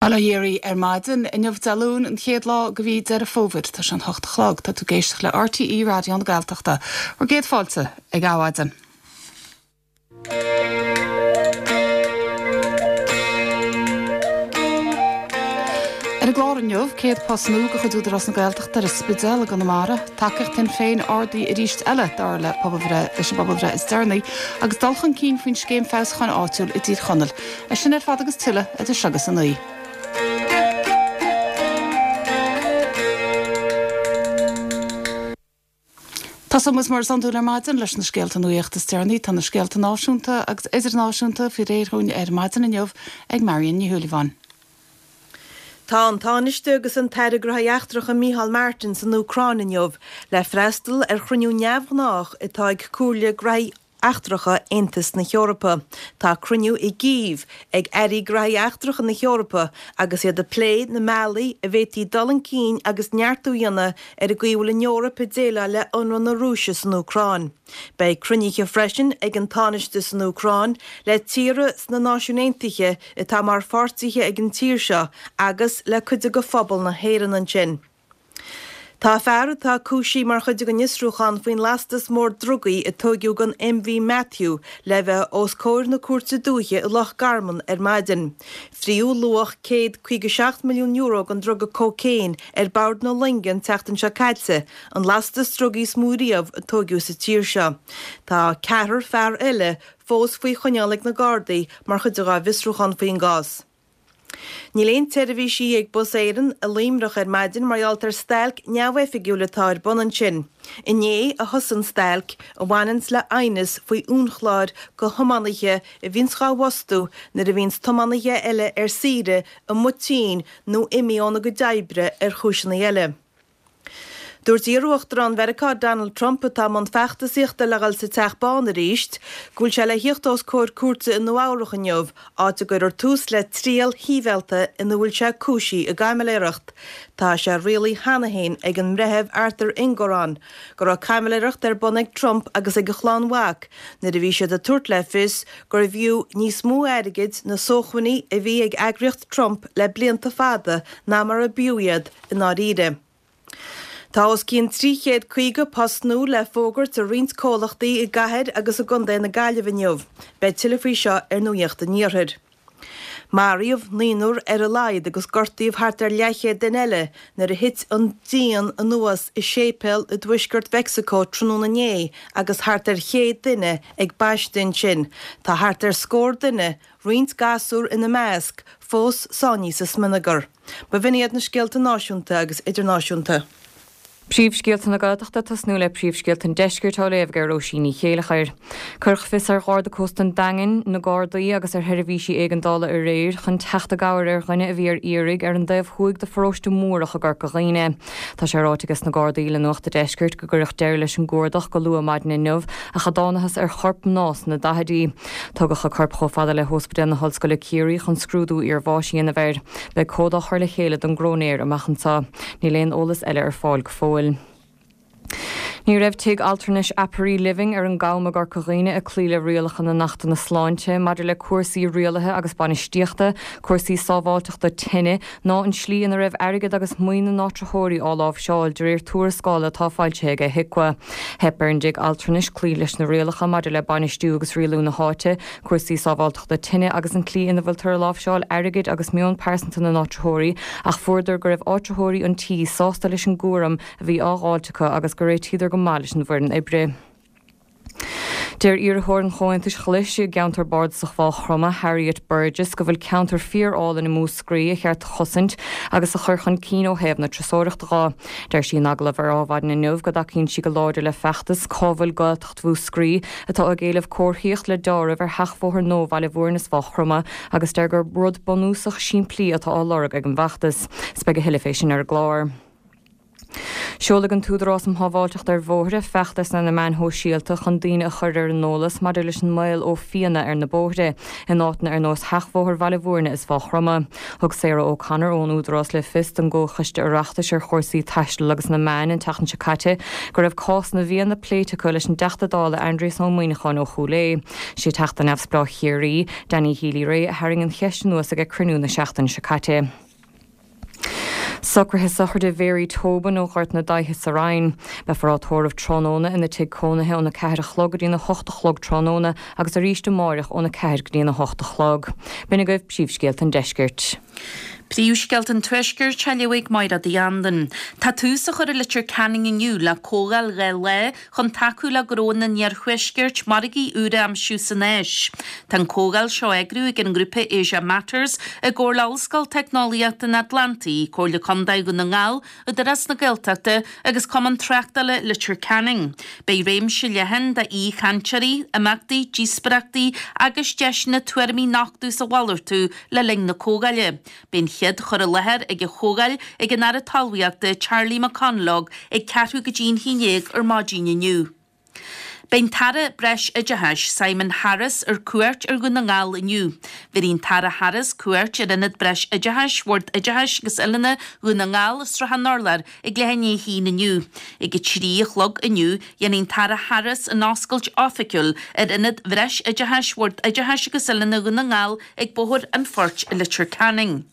Bail ó Dhia oraibh ar maidin. Inniu Dé Luain, an chéad lá de mhí Deireadh Fómhair. Tá sé an hocht a chlog. Tá tú ag éisteacht le RTÉ Raidió na Gaeltachta. Bhur gcéad fáilte ag Adhmhaidin. Ar an gclár inniu, 100 post nua de chuid Údarás na Gaeltachta ar an Spidéal i gConamara, tacaíocht Shinn Féin ardaithe arís eile dar le pobalbhreith leis an bpobalbhreith is deireanaí, agus dul chun cinn faoin scéim feabhsúcháin áitiúil i dTír Chonaill. É sin ar fad agus tuilleadh idir seo agus a 9. Tosóidh muid mar is iondúil ar maidin leis na scéalta nuaíochta is deireanaí. Tá na scéalta náisiúnta agus idirnáisiúnta faoi réir dhúinn ar maidin inniu ag Marion Ní Shúilleabháin. Tá an Tánaiste agus an tAire Gnóthaí Eachtracha Micheál Martin san Úcráin inniu le freastal ar chruinniú neamhghnách atá ag Comhairle Gnóthaí Eachtracha Aontas na hEorpa. Tá cruinniú i gCív ag Airí Gnóthaí Eachtracha na hEorpa agus iad ag plé na mbealaí a bhféadfaí dul chun cinn agus neartú a dhéanamh ar an gcaoi a bhfuil an Eoraip ag déileáil le ionradh na Rúise san Úcráin. Beidh cruinnithe freisin ag an Tánaiste san Úcráin le tíortha sna Náisiúin Aontaithe atá mar pháirtithe ag an tír seo agus le cuid de phobal na hÉireann ansin. Tá fear atá cúisithe mar chuid den fhiosrúchán faoin lastas mór drugaí a tóigeadh den MV Matthew le bheith os comhair na Cúirte Dúiche i Loch Garman ar maidin. Fríodh luach €157 milliún den druga cócaon ar bord na loinge an tseachtain seo caite, an lastas drugaí is mó riamh a tóigeadh sa tír seo. Tá ceathrar fear eile fós faoi choinneáil ag na Gardaí mar chuid dá bhfiosrúchán faoin gcás. Níl aon tseirbhísí ag Bus Éireann i Luimneach ar maidin mar gheall ar stailc neamhoifigiúil atá ar bun ansin. Inné a thosaigh an stailc, a bhaineanns le aighneas faoi uainchlár do thiománaithe a bhíonns dhá bhfostú nuair a bhíonns tiománaithe eile ar saoire, amuigh tinn nó imithe óna gcuid oibre ar chúiseanna eile. Dúirt iarUachtarán Mheiriceá Donald Trump, atá i mbun feachtasaíochta le dhul sa Teach Bán arís, go bhfuil sé le thíocht os comhair cúirte i Nua Eabhrach inniu, áit a gcuirfear tús le triail shibhialta ina bhfuil sé cúisithe i gcaimiléireacht. Tá sé rialaithe cheana féin ag an mBreitheamh Arthur Engoron go raibh caimiléireacht ar bun ag Trump agus ag a chlann mhac nuair a bhí siad ag tabhairt le fios gurbh fhiú níos mó airgid na sócmhainní a bhí ag eagraíocht Trump le blianta fada ná mar a b'fhiú iad. i ndáiríre. Tá os cionn 350 post nua le fógairt i roinnt comhlachtaí i gcathair agus i gcontae na Gaillimhe inniu. Beidh tuilleadh faoi seo ar Nuacht an Iarthair. Maraíodh naonúr ar a laghad agus gortaíodh thart ar leathchéad duine eile nuair a thit an díon anuas i séipéal i dtuaisceart Mheicsiceo tráthnóna inné agus thart ar 100 duine ag baisteadh ansin. Tá thart ar scór duine, roinnt gasúr ina measc, fós sáinnithe sa smionagar. B'in iad na scéalta náisiúnta agus idirnáisiúnta. Príomhscéalta na Gaeltachta ag tosnú le príomhscéalta an Deiscirt á léamh ag Róisín Ní Chéilleachair. Cuireadh fios ar Gharda Cósta an Daingin, na Gardaí agus ar sheirbhísí éigeandála aréir chun teacht i gcabhair ar dhuine a bhí ar iarraidh ar an dtaobh thuaidh de pharóiste Múrach i gCorca Dhuibhne. Tá sé ráite ages na Gardaí le Nuacht a' Deiscirt go gcuireadh deireadh leis an gcuardach go luath maidin inniu ach a dtánathas ar chorp mná sna daichidí. Tugadh a corp chomh fada le hÓspidéal na hOllscoile Ciarraí chun scrúdú iarbháis a dhéanamh air. Beidh comhad á chur le chéile don gcróinéir amach anseo. Níl aon eolas eile ar fáil go fóill. Ní raibh tigh altranais Aperi Living ar an gCam i gCorca Dhuibhne ag cloí le rialacha na nAchtanna Sláinte maidir le cúrsaí rialaithe agus bainistíochta, cúrsaí sábháilteachta tine, ná an slí ina raibh airgead agus maoin na n-áitritheoirí á láimhseáil, de réir tuarascála atá foilsithe ag HIQA. Theip ar an dtigh altranais cloí leis na rialacha maidir le bainistiú agus rialú na háite, cúrsaí sábháilteachta tine agus an tslí ina bhfuiltear ag láimhseáil airgid agus meon pearsanta na n-áitritheoirí ach fuaireadar go raibh áitritheoirí an tí sásta leis an gcúram a bhí á dháilt acu agus gur réitíodar go maith leis an bhfoireann oibre. Deir iarrthóir an Chomhaontais Ghlais i gceantar Bardasach Mhaigh Chromtha, Harriet Burgess, go bhfuil ceantar fíor-álainn i Múscraí a cheart a chosaint agus a chur chun cinn ó thaobh na turasóireachta dho. Deir sí in agallamh ar Adhmhaidin inniu go dtacaíonn sí go láidir le feachtas Cá bhfuil Gaeltacht Mhúscraí? atá ag éileamh comharthaíocht le deáramh ar sheachbhóthar nua Bhaile Bhúirne is Mhaigh Chromtha agus deir gur rud bunúsach simplí atá á lorg ag an bhfeachtas. 'S beidh a thuilleadh fé sin ar an gclár. Seolfaidh an tÚdarás um Shábháilteacht ar Bhóithre feachtas ar na meáin shóisialta chun daoine a chur ar an eolas maidir leis an mbaol ó phianna ar na bóithre, in áiteanna ar nós Sheachbhóthar Bhaile Bhúirne is Mhaigh Chromtha. Thug Sarah O'Connor ón Údarás le fios don gComhchoiste Oireachtais ar chúrsaí Taistil agus na Meáin an tseachtain seo caite go raibh cás na bhfianna pléite acu leis an dTeachta Dála Aindrias Ó Muimhneacháin ó Chúil Aodha. Sé Teachta Neamhspleách Chiarraí, Danny Healy-Rae a tharraing an cheist anuas ag cruinniú na seachtaine seo caite. Socruithe sochraide Mhary Tobin ó Ghort na Daighthe sa Rinn. Beifear á tórramh tráthnóna ina tigh cónaithe óna 4 a chlog go dtí'n 8 a chlog tráthnóna agus arís amáireach óna 4 go dtí'n 8 a chlog. B'in agaibh príomhscéalta an deiscirt. Príomhscéalta an Tuaiscirt á léamh ag Máire Uí Anluain. Tá tús á chur i Leitir Ceanainn inniu le comhdháil 2 lá chun tacú le gnónna an iarthuaiscirt margaí úra a aimsiú san Áis. Tá an comhdháil seo á eagrú ag an ngrúpa Asia Matters i gcomhar le Ollscoil Teicneolaíochta an Atlantaigh, Comhairle Contae Dhún na nGall, Údarás na Gaeltachta agus Cumann Tráchtála Leitir Ceanainn. Beidh réimse leathan d'aoichainteoirí, imeachtaí, díospóireachtaí agus deiseanna tuairimí a nochtadh is a mhalartú le linn na comhdháile. Beidh an chéad chur i láthair ag an chomhdháil ag an Aire Talmhaíochta Charlie McConalogue ag ceathrú go dtí an haon dhéag ar maidin inniu. Beidh an tAire Breis-Oideachais Simon Harris ar cuairt ar Dhún na nGall inniu. Bhéarfaidh an tAire Harris cuairt ar Ionad Breis-Oideachais Bhord Oideachais agus Oiliúna Dhún na nGall i Sruth an Urláir ag leath i ndiaidh a haon inniu. Ag a 3 a chlog inniu, dhéanfaidh an tAire Harris an oscailt oifigiúil ar Ionad Bhreis-Oideachais Bhord Oideachais agus Oiliúna Dhún na nGall ag Bóthar an Phoirt i Leitir Ceanainn.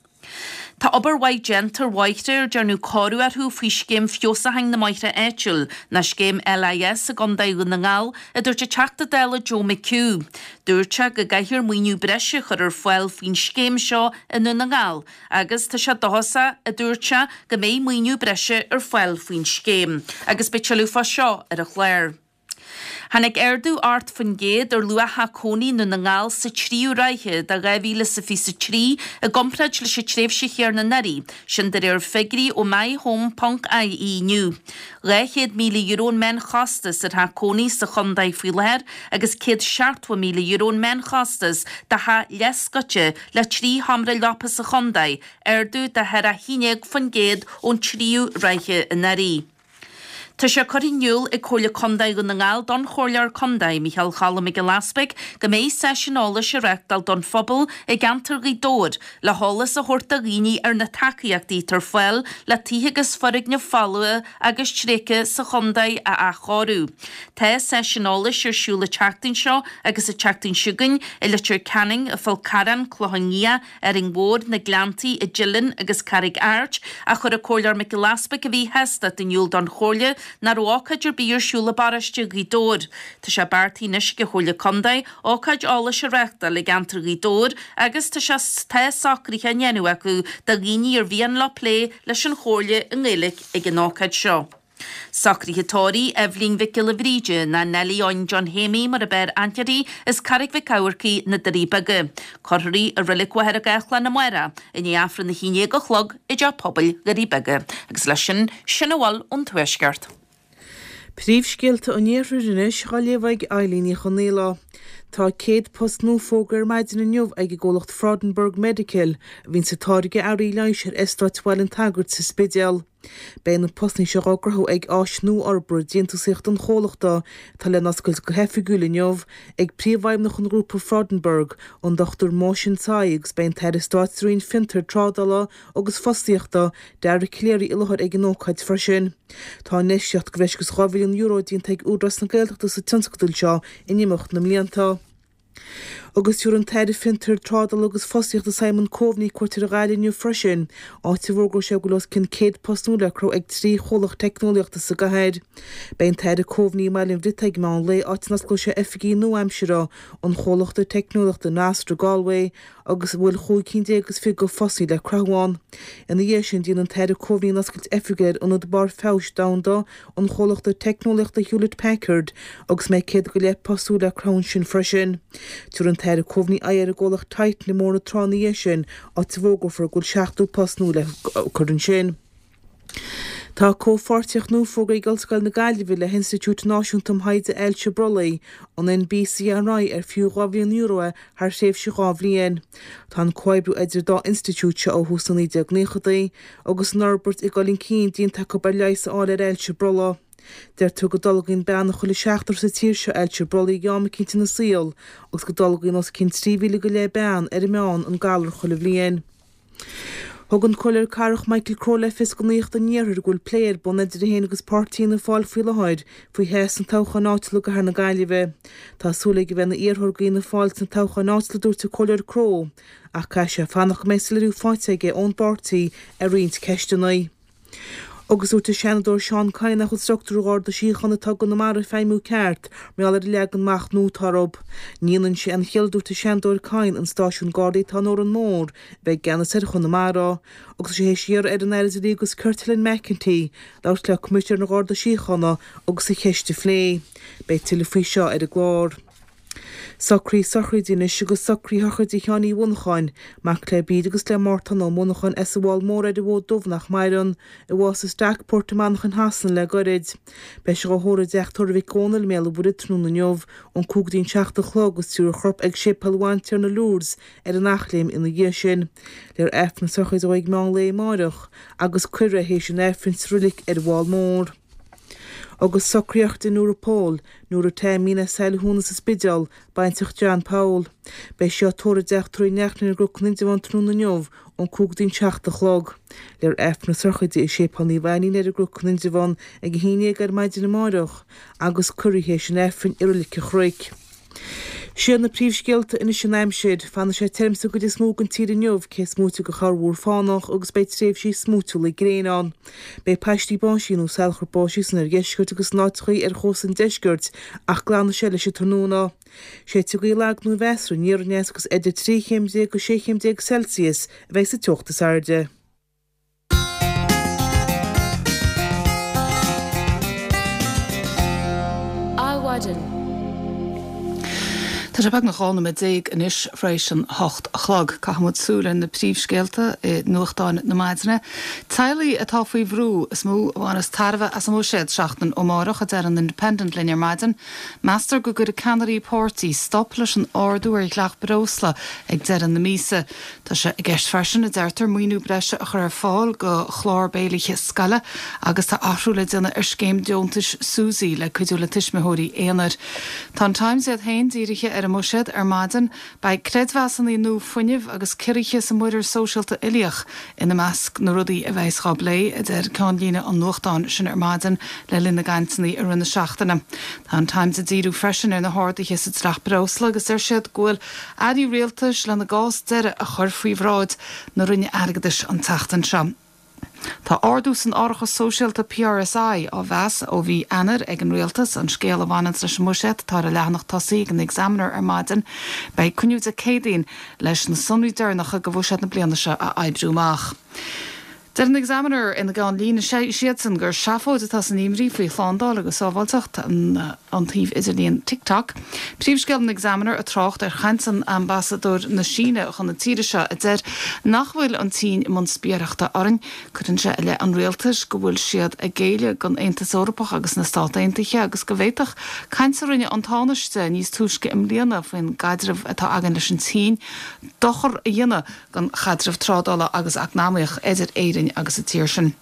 Tá obair mhaith déanta ar bhóithre ar dearnadh cóiriú orthu faoi Scéim Feabhsúcháin na mBóithre Áitiúil, ná Scéim LIS i gContae Dhún na nGall, a dúirt an Teachta Dála Joe McHugh. Dúirt sé go gcaithfear maoiniú breise a chur ar fáil faoin scéim seo i nDún na nGall agus tá sé dóchasach, a dúirt sé, go mbeidh maoiniú breise ar fáil faoin scéim. Agus beidh tuilleadh fá seo ar an chlár. Tháinig ardú 8% ar luach theach cónaí i nDún na nGall sa tríú ráithe de 2023 i gcomparáid leis an tréimhse chéanna anuraidh, sin de réir figiúirí ó MyHome ponc ie inniu. €200,000 an meánchostas ar theach cónaí sa chontae faoi láthair agus €170,000 an meánchostas do theach leathscoite le 3 sheomra leapa sa chontae, ardú de 11% ón tríú ráithe anuraidh. Tá sé curtha in iúl ag Comhairle Contae Dhún na nGall don Chomhairleoir Contae, Micheál Cholm Mac Giolla Easpaig, go mbeidh seisiún eolais á reáchtáil don phobal i gceantar Ghaoth Dobhair le heolas a thabhairt do dhaoine ar na tacaíochtaí atá ar fáil le tithe agus foirgnimh folmha agus tréigthe sa chontae a athchóiriú. Tá seisiún eolais ar siúl an tseachtain seo agus an tseachtain seo chugainn i Leitir Ceanainn, i bhFál Carrach, Clochán Liath, Árainn Mhór, na Gleanntaí, i dTeileann agus Carraig Airt, ach chuir an Comhairleoir Mac Giolla Easpaig a mhíshástacht in iúl don Chomhairle nach raibh ócáid ar bith ar siúl i bparóiste Ghaoth Dobhair. Tá sé beartaithe anois ag an Chomhairle Contae ócáid eolais a reáchtáil i gceantar Ghaoth Dobhair agus tá sé tá socruithe á ndéanamh acu do dhaoine ar mhian leo plé leis an Chomhairle i nGaeilge ag an ócáid seo. Socruithe tórraimh Eibhlín Mhic Giolla Bhríde, ná Neilí Eoin John Shéimí mar ab fhearr aithne uirthi, as Carraig Mhic Eamharcaigh, Na Doirí Beaga. Cuirfear í i Reilig Mhachaire Gathlán amárach, i ndiaidh Aifreann a haon dhéag a chlog i dTeach Pobail Dhoirí Beaga. Agus leis sin, sin a bhfuil ón Tuaisceart. Príomhscéalta an Iarthair anois á léamh ag Eilín Ní Chonaola. Tá 100 post nua fógartha ar maidin inniu ag an gcomhlacht Freudenberg Medical, a bhíonns ag táirgeadh earraí leighis ar Eastát Bhaile an tSagairt sa Spidéal. Beidh na postanna seo á gcruthú ag áis nuathfhorbartha déantúsaíochta an chomhlachta, atá le n-oscailt go hoifigiúil inniu, ag Príomhfheidhmeannach an Ghrúpa Freudenberg, an Dr Mo Sin Tsai agus beidh an tAire Stáit sa Roinn Fiontair, Trádála agus Fostaíochta, Dara Calleary i láthair ag an ócáid freisin. Tá infheistíocht de bhreis agus €2 mhilliún déanta ag Údarás na Gaeltachta sa tionscadal seo in imeacht na mblianta. Agus tabharfaidh an tAire Fiontair, Trádála agus Fostaíochta Simon Coveney cuairt ar Ghaillimh inniu freisin, áit a bhfógróidh sé go bhfuil os cionn 100 post nua le cruthú ag 3 chomhlacht teicneolaíochta sa gcathair. Beidh an tAire Coveney i mBaile an Bhriotaigh ag meán lae, áit a n-osclóidh sé oifigí nua-aimseartha an chomhlachta teicneolaíochta Nostr Galway agus a bhfuil chúig cinn déag is fiche de phostanna le cruthú ann. Ina dhiaidh sin, déanfaidh an tAire Coveney an oscailt oifigiúil ar Ionad Barr Feabhais Domhanda an chomhlachta teicneolaíochta Hewlett Packard agus a mbeidh 100 go leith post nua le cruthú ansin freisin. Tabharfaidh an tAire Coveney aghaidh ar an gcomhlacht Titan i mBóthar na Trá ina dhiaidh sin, áit a bhfógrófar go bhfuil 70 post nua le cur ansin. Tá comhpháirtíocht nua fógartha ag Ollscoil na Gaillimhe le hInstitiúid Náisiúnta um Thaighde Ailse Brollaigh, an NBCRI, ar fiú €2 mhilliún é thar thréimhse 2 bhliain. Tá an comhoibriú idir an dá institiúid seo ó thús na 1990idí agus an fhorbairt ag dul chun cinn déanta acu ar leigheas a fháil ar ailse brollaigh. Deirtear go dtolgaíonn bean chuile sheachtar sa tír seo ailse brollaigh ag am eicínt ina saol agus go dtolgaíonn os cionn 3,000 go leith bean ar an meán an galar chuile bhliain. Thug an Comhairleoir Cathrach Michael Crowe le fios do Nuacht an Iarthair go bhfuil plé ar bun idir é féin agus páirtí Fhianna Fáil faoi láthair faoi thoghadh sna toghcháin áitiúla i gcathair na Gaillimhe. Tá súil aige a bheith ina iarrthóir do Fhianna Fáil sna toghcháin áitiúla a dúirt an Comhairleoir Crowe ach caithfidh sé fanacht go mbeidh soiléiriú faighte aige ón bpáirtí ar roinnt ceisteanna. Agus dúirt an Seanadóir Seán Kyne nach bhfuil struchtúr Gharda Síochána atá i gConamara ag feidhmiú ceart mar gheall ar an leagan amach nua atá orthu. Ní dhéanann sé aon chiall a dúirt an Seanadóir Kyne an stáisiún Gardaí atá in Órán Mór a bheith i gceannas ar Chonamara agus tá sé théis iarraidh ar an Aire Dlí agus Cirt Helen McEntee labhairt le Coimisinéir an Gharda Síochána agus an cheist a phlé. Beidh tuilleadh faoi seo ar an gclár. Socruithe sochraide anois agus socruithe shochraide Sheáin Uí Mhonacháin, mac le Bríd agus le Mártán Ó Monacháin as an bhFál Mór ar an bhFód Dubh nach maireann, a bhásaigh i Stockport i Manchain Shasana le goirid. Beidh sé dhá thórramh i dteach tórraimh Mhic Dhónaill i mBéal an Mhuirthead tráthnóna inniu ón 5 go dtí an 7 a chlog agus tabharfar a chorp ag Séipéal Bhantiarna Lourdes ar an Eachléim ina dhiaidh sin. Léifear Aifreann na sochraide dó ag meán lae amáireach agus cuirfear é théis an Aifrinn sa roilig ar an bhFál Mór. Agus socruithe sochraide Nóra Pól, Nóra Taimín as Saile Thúna sa Spidéal, baintreach John Paul. Beidh sí á tórramh i dteach tórraimh Uí Neachtain ar an gCnoc in Indreabhán tráthnóna inniu ón 5 go dtí an 7 a chlog. Léifear Aifreann na sochraide i Séipéal Naomh Ainnín ar an gCnoc in Indreabhán ag 11 ar maidin amáireach agus cuirfear í théis an Aifrinn i Roilig an Chnoic. Siad na príomhscéalta anois an aimsir. Fanfaidh sé tirim sa gcuid is mó den tír inniu, cé is móite de chorrmhúr fánach agus beidh tréimhsí smúitiúla gréine ann. Beidh paistí báistí nó salachar báistí san oirdheisceart agus in áiteachaí ar chósta an deiscirt ach glanfaidh sé leis an tráthnóna. Séidfidh gaoth lag nó mheasartha aniar aneas agus idir 13 chéim go 16 chéim Celsius a bheidh sa teocht is airde. Adhmhaidin. Tá sé beagnach 12 nóiméad anois tar éis an 8 a chlog. Caithfidh muid súil ar na príomhscéalta i nuachtáin na maidine. Teaghlaigh atá faoi bhrú is mó a bhaineas tairbhe as an mbuiséad seachtain ó amárach, a deir an Independent linn ar maidin. Meastar go gcuirfidh ceannairí páirtí stop leis an ardú ar dhleacht breosla ag deireadh na míosa. Tá sé i gceist freisin, a deirtear, maoiniú breise a chur ar fáil do chlár béilithe scoile agus tá athrú le déanamh ar scéim deontais Susi le cuidiú le tuismitheoirí aonair. Tá an Times iad féin dírithe ar an mbuiséad ar maidin. Beidh creidmheasanna nua fuinnimh agus ciorruithe sa muirear sóisialta uilíoch ina measc na rudaí a bheas dhá bplé, a deir ceannlíne an nuachtáin sin ar maidin le linn na gcainteanna i rith na seachtaine. Tá an Times ag díriú freisin ar na harduithe sa dleacht breosla agus deir siad go bhfuil Airí rialtais lena gcás deiridh a chur faoi bhráid na Roinne Airgeadais an tseachtain seo. Tá ardú san árachas sóisialta PRSI á mheas ó mhí Eanáir ag an Rialtas, an scéal a bhaineanns leis an mbuiséad atá ar an leathanach tosaigh ag an Examiner ar maidin. Beidh cruinniú Dé Céadaoin leis na sonraí deireanacha do bhuiséad na bliana seo a oibriú amach. Deir an Examiner ina gceannlíne siadsan gur seafóid atá san imní faoi shlándáil agus sábháilteacht an tsuímh idirlíon TikTok. Príomhscéal an Examiner ag trácht ar chaint an ambasadóir na Síne chun na tíre seo a deir nach bhfuil an tSín i mbun spiaireachta orainn. Cuireann sé i leith an rialtais go bhfuil siad ag géilleadh don Aontas Eorpach agus na Stát Aontaithe agus go bhféadfadh caint a rinne an Tánaiste níos túisce i mbliana faoin gcaidreamh atá againn leis an tSín dochar a dhéanamh don chaidreamh trádála agus eacnamaíoch idir Éirinn agus an tír sin.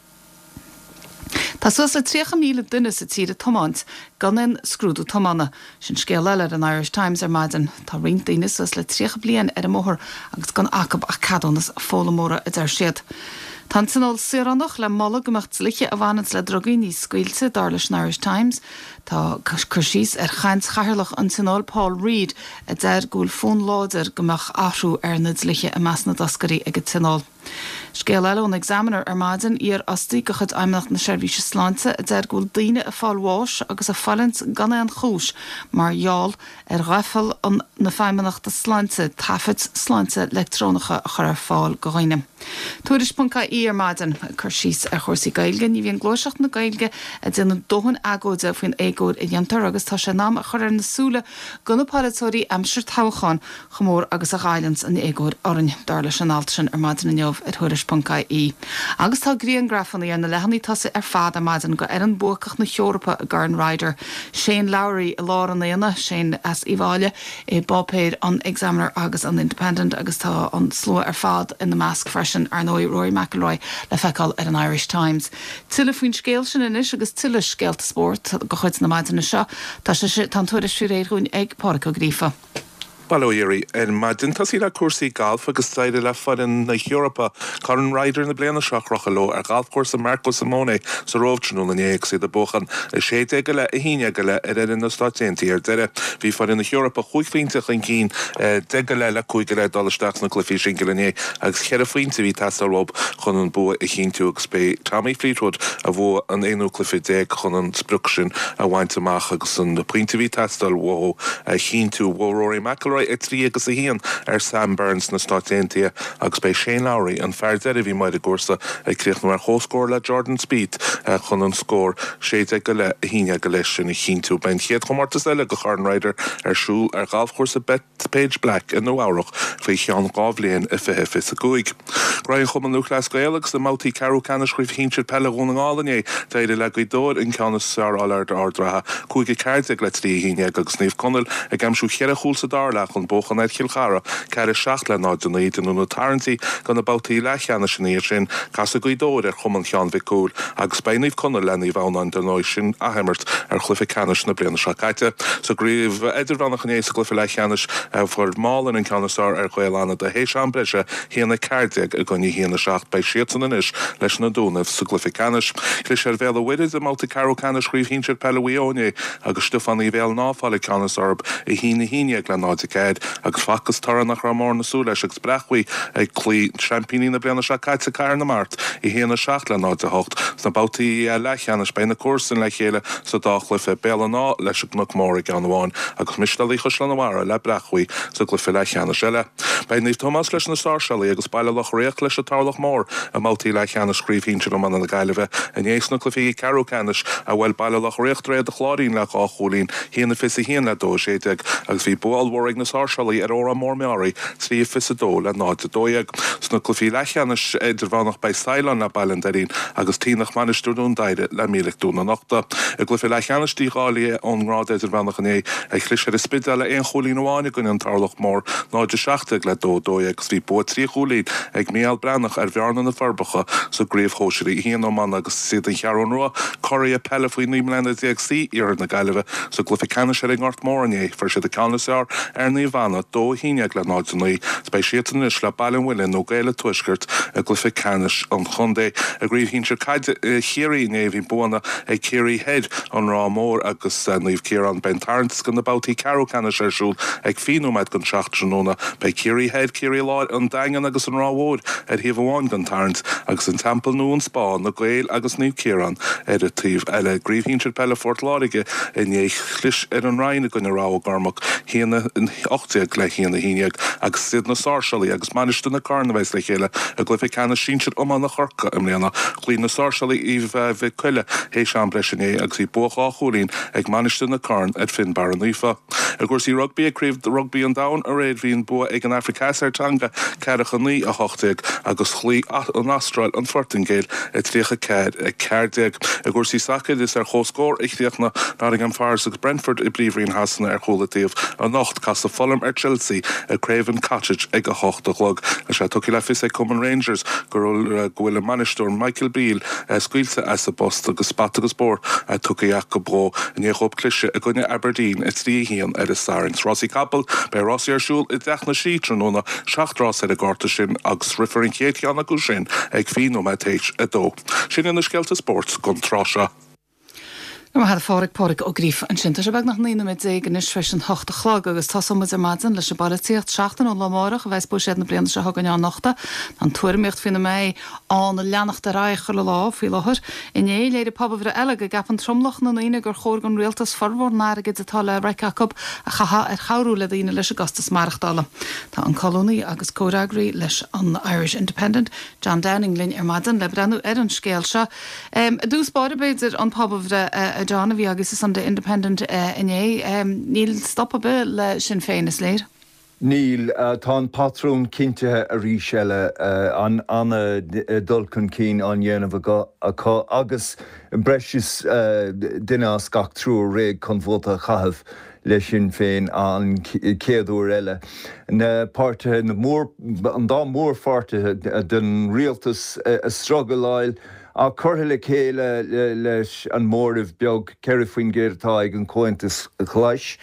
Tá suas le 30,000 duine sa tír ag tiomáint gan aon scrúdú tiomána. Sin scéal eile ar an Irish Times ar maidin. Tá roinnt daoine suas le 30 bliain ar an mbóthar agus gan acu ach ceadúnas foghlaimeora, a deir siad. Tá an Tionól Saoránach le moladh go mbeadh dlíthe a bhaineanns le drugaí níos scaoilte, dar leis an Irish Times. Tá cur síos ar chaint chathaoirleach an Tionóil, Paul Reid, a deir go bhfuil fonn láidir go mbeadh athrú ar na dlíthe i measc na dtoscairí ag an Tionól. Scéal eile ón Examiner ar maidin, iarfhostaí de chuid Fheidhmeannacht na Seirbhíse Sláinte a deir go bhfuil daoine ag fáil bháis agus ag fulaingt gan aon chúis mar gheall ar dhoicheall na Feidhmeannachta Sláinte taifid sláinte leictreonacha a chur ar fáil go dhaoine. Tuairisc.ie ar maidin, ag cur síos ar chúrsaí Gaeilge, ní bhíonn gluaiseacht na Gaeilge ag déanamh dóthain agóide faoin éagóir a dhéantar agus tá sé in am a chur ar na súile go na polaiteoirí aimsir toghcháin chomh mór agus a ghoilleanns an éagóir orainn, dar leis an alt sin ar maidin inniu ar Thuairisc. Tuairisc.ie. Agus tá griangrafanna ar na leathanaigh tosaigh ar fad ar maidin go fhoireann buacach na hEorpa i gCorn Ryder, Shane Lowry i lár an aonaigh, Shane as Uíbh Fhailí, i bpáipéir an Examiner agus an Independent agus tá an slua ar fad ina measc freisin, ar ndóigh, Rory McIlroy le feiceáil ar an Irish Times. Tuilleadh faoin scéal sin anois agus tuilleadh scéalta spóirt de chuid na maidine seo. Tá sé, tá an tuairisc faoi réir dhúinn ag Pádraic Ó Gríofa. Bail ó Dhia oraibh ar maidin. Tosaí le cúrsaí gailf agus d'éirigh le foireann na hEorpa Corn Ryder na bliana seo a chrochadh leo ar ghalfchúrsa Marco Simone sa Róimh tráthnóna inné agus iad ag buachan 16 go leith 11 go leith ar fhoireann na Stáit Aontaithe ar deireadh. Bhí foireann na hEorpa chúig phointe chun cinn, 10 go leith le 5 go leith ag dul isteach sna cluichí singil inné agus cheithre phointe a bhí ag teastáil uathu chun an bua a chinntiú agus b'é Tommy Fleetwood a bhuaigh an aonú cluiche déag chun an sprioc sin a bhaint amach agus an pointe a bhí ag teastáil uathu a chinntiú. Bhuaigh Rory McIlroy 3 agus 1 ar Sam Burns na Stáit Aontaithe agus b'é Shane Lowry an fear deiridh a bhí amuigh ar an gcúrsa ag críochnú ar chomhscór le Jordan Spieth chun an scór 16 go leith 11 go leith sin a chinntiú. Beidh an chéad chomórtas eile do Chorn Ryder ar siúl ar ghalfchúrsa Bethpage Black i Nua Eabhrach faoi cheann 2 bhliain i 2025. Graí an Chumann Lúthchleas Gael agus i mbabhtaí ceathrú ceannais Chraobh Shinsir Peile Dhún na nGall inné, d'éirigh le Gaoth Dobhair an ceann is fearr a fháil ar Ard an Rátha, 5 14 le 3 11 agus Naomh Conaill ag aimsiú cheithre chúl sa dara leath chun buachan ar Chill Chartha, 4 7 le 0 9. Déanadh na tarraingtí do na babhtaí leathcheannais ina dhiaidh sin. Casfaidh Gaoth Dobhair ar Chumann Sheáin Mhic Cumhaill agus beidh Naomh Conaill le Naomh Adhamhnáin dar ndóigh sin athimirt ar chluiche ceannais na bliana seo caite. Sa gcraobh idirmheánach inné sa gcluiche leathcheannais fuair Málainn an ceann is fearr ar Ghaeil Fhánada théis am breise, 1 14 i gcoinne 1 7. Beidh siadsan anois leis na Dúnaibh sa gcluiche ceannais. Chlis ar Bhéal an Mhuirthead i mbabhta ceathrú ceannais Chraobh Shinsir Peile Mhaigh Eo inné agus Stiofán Uí Mhaoilnáith ag fáil an ceann is fearr orthu 1 11 le 0 4 agus facthas toradh nach raibh mórán ag súil leis agus Breac-Ghaoth ag cloí seaimpíní na bliana seo caite Cathair na Mart 1 7 le 0 8. Sna babhtaí leathcheannais beidh na comharsain le chéile sa dá chluiche, Béal an Átha leis an gCnoc Mór i gceann amháin agus Mistéalaigh Chaisleán an Bharraigh le Breac-Ghaoth sa gcluiche leathcheannais eile. Beidh Naomh Tomás leis na Sáirséalaigh agus Baile Locha Riach leis an Tarlach Mór i mbabhtaí leathcheannais Chraobh Shinsir Iomána na Gaillimhe inné sna cluichí ceathrú ceannais a bhuail Baile Locha Riach Droichead an Chláirín le 2 chúilín, 1-21 le 2-16, agus bhí bua ollmhór ag na Sáirséalaigh ar Órán Mór Meáraí, 3-22 le 0-12. Sna cluichí leathcheannais idirmheánach beidh Saighleán le Baile an Doirín agus Taonach Mainistir Dún Doighre le Mílic Dún an Uchta. I gcluiche leathcheannais dícháilithe ón ngrád idirmheánach inné, Chlis ar an Spidéal le aon chúilín amháin i gcoinne an Tarlach Mór, 0-17 le 2-12 agus bhí bua 3 chúilín ag Mícheál Breathnach ar Bhearna na Forbacha sa gCraobh Shóisear 1 Iomána agus is iad an Cheathrún Rua curaidh peile faoi 19 mbliana C Iarthar na Gaillimhe sa gcluiche ceannais ar an nGort Mór inné. Fuair siad an ceann is fearr ar Naomh Anna, 2-11 le 0-9 is beidh siadsan anois le Baile an Mhuilinn nó Gaeil an Tuaiscirt i gcluiche ceannais an chontae. I gCraobh Shinsir Caide Chiarraí inné bhí buanna ag Ciarraí Thoir, An Ráth Mór agus Naomh Ciarán. Beidh an tarraingt do na babhtaí ceathrú ceannais ar siúl ag 20 nóiméad don 7 tráthnóna. Beidh Ciarraí Thoir, Ciarraí Láir, An Daingean agus An Ráth Mhóir ar thaobh amháin den tarraingt agus An Teampall Nua, An Spá, Na Gaeil agus Naomh Ciarán ar an taobh eile. I gCraobh Shinsir Peile Phort Láirge inné chlis ar an Rinn i gcoinne Rath Ó gCormaic, 1-18 le 1-11 agus is iad na Sáirséalaigh agus Mainistir na Carn a bheas le chéile i gcluiche ceannais sinsir iomána Chorcaí i mbliana. Chloígh na Sáirséalaigh Uíbh Mhic Coille théis am breise inné agus bhí bua 2 chúilín ag Mainistir na Carn ar Fionnbarra Naofa. I gcúrsaí rugbaí ag Craobh Rugbaí an Domhain aréir bhí an bua ag an Afraic Theas ar Tonga 49, 18 agus chloígh an Astráil an Phortaingéil 34, 14. I gcúrsaí sacair is ar chomhscór a chríochnaigh Nottingham Forest agus Brentford i bPríomhroinn Shasana ar chúl an taobh anocht. Casfaidh Fulham ar Chelsea i Craven Cottage ag a hocht a chlog. Tá sé tugtha le fios ag Cumann Rangers go bhfuil a mbainisteoir Michael Beale scaoilte as a bpost agus bata agus bóthar tugtha acu dhó i ndiaidh dhóibh cliseadh i gcoinne Aberdeen 3, 1 ar an Satharn. Rásaí capall, Beidh rásaí ar siúl i dTeach na Sí tráthnóna, 7 rás ar an gcárta sin agus rithfear an chéad cheann acu sin ag 20 nóiméad théis 2. Sin iad na scéalta spóirt don tráth seo. Go raibh maith agat a Phádraig, Pádraig Ó Gríofa ansin. Tá sé beagnach 19 nóiméad anois tar éis an hocht a chlog agus tosóidh muid ar maidin leis an bpolaitíocht. Seachtain ón lá amárach a bheas buiséad na bliana seo chugainn á nochtadh. Tá an tuairimíocht faoina mbeidh ann ag leanacht ar aghaidh chuile lá faoi láthair. Inné, léirigh pobalbhreith eile go gceapann tromlach na ndaoine gur chóir don rialtas formhór an airgid atá le reic acu a chaitheamh ar chabhrú le daoine leis an gcostas maireachtála. Tá an colúnaí agus comhfhreagraí leis an Irish Independent, John Downing linn ar maidin le breathnú ar an scéal seo. I dtús báire, b'fhéidir, an pobalbhreith, a John, a bhí agaibh sa Sunday Independent inné. Níl stop ar bith le Sinn Féin, is léir. Níl. Tá an patrún cinntithe arís eile. An-dul chun cinn á dhéanamh acu agus breis is duine as gach triúr réidh chun vóta a chaitheamh le Sinn Féin an chéad uair eile. Na páirtithe, an dá mhórpháirtithe den rialtas ag struggleáil ach curtha le chéile leis an móramh beag 4% atá ag an Chomhaontas Glas,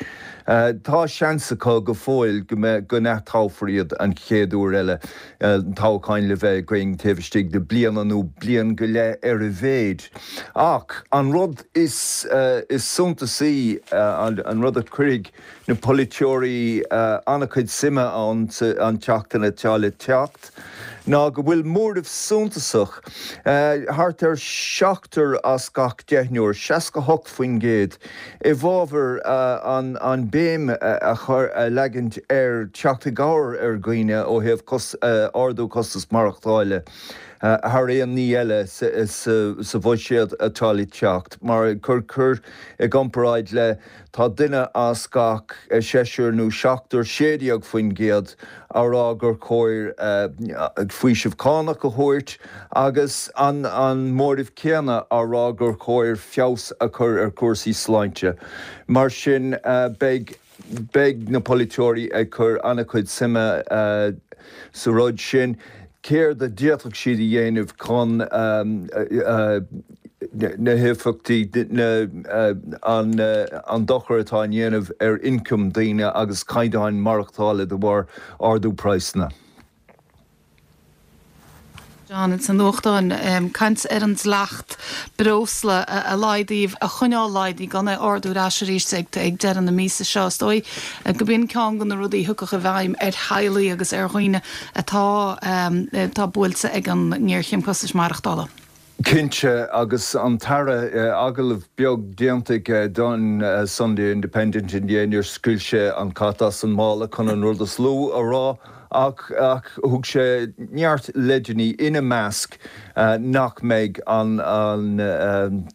tá seans acu go fóill go mbeidh, go n-atoghfar iad an chéad uair eile, toghcháin le bheith againn taobh istigh de bliana nó bliain go leith ar a mhéid. Ach an rud is suntasaí, an rud a chuirfidh na polaiteoirí an-chuid suime ann an tseachtain atá le teacht, ná go bhfuil móramh suntasach, thart ar seachtar as gach deichniúr, 68%, i bhfabhar an béim a chur, a leagaint ar teacht i gcabhair ar dhaoine ó thaobh ardú costas maireachtála thar aon ní eile sa bhuiséad atá le teacht. Mar cur i gcomparáid le Tá duine as gach seisear nó seachtar, 16%, á rá gur chóir faoiseamh cánach a thabhairt agus an móramh céanna á rá gur chóir feabhas a chur ar chúrsaí sláinte. Mar sin, beidh beidh na polaiteoirí ag cur an-chuid suime sa rud sin. Céard a d'fhéadfadh siad a dhéanamh chun na héifeachtaí, an dochar atá á dhéanamh ar ioncam daoine agus caighdeáin maireachtála de bharr ardú praghsanna? John, ins na nuachtáin, caint ar an dleacht breosla a laghdaíodh, a choinneáil laghdaithe, gan é a ardú ar ais arís ag deireadh na míosa seo. Is dóigh go b'in ceann de na rudaí a thiocfadh i bhfeidhm ar theaghlaigh agus ar dhaoine atá atá buailte ag an ngéarchéim costais maireachtála. Cinnte, agus an tAire, agallamh beag déanta aige don Sunday Independent inné, níor scaoil sé an cat as an mála chun an rud is lú a rá, ach thug sé neart leideanna, ina measc nach mbeidh an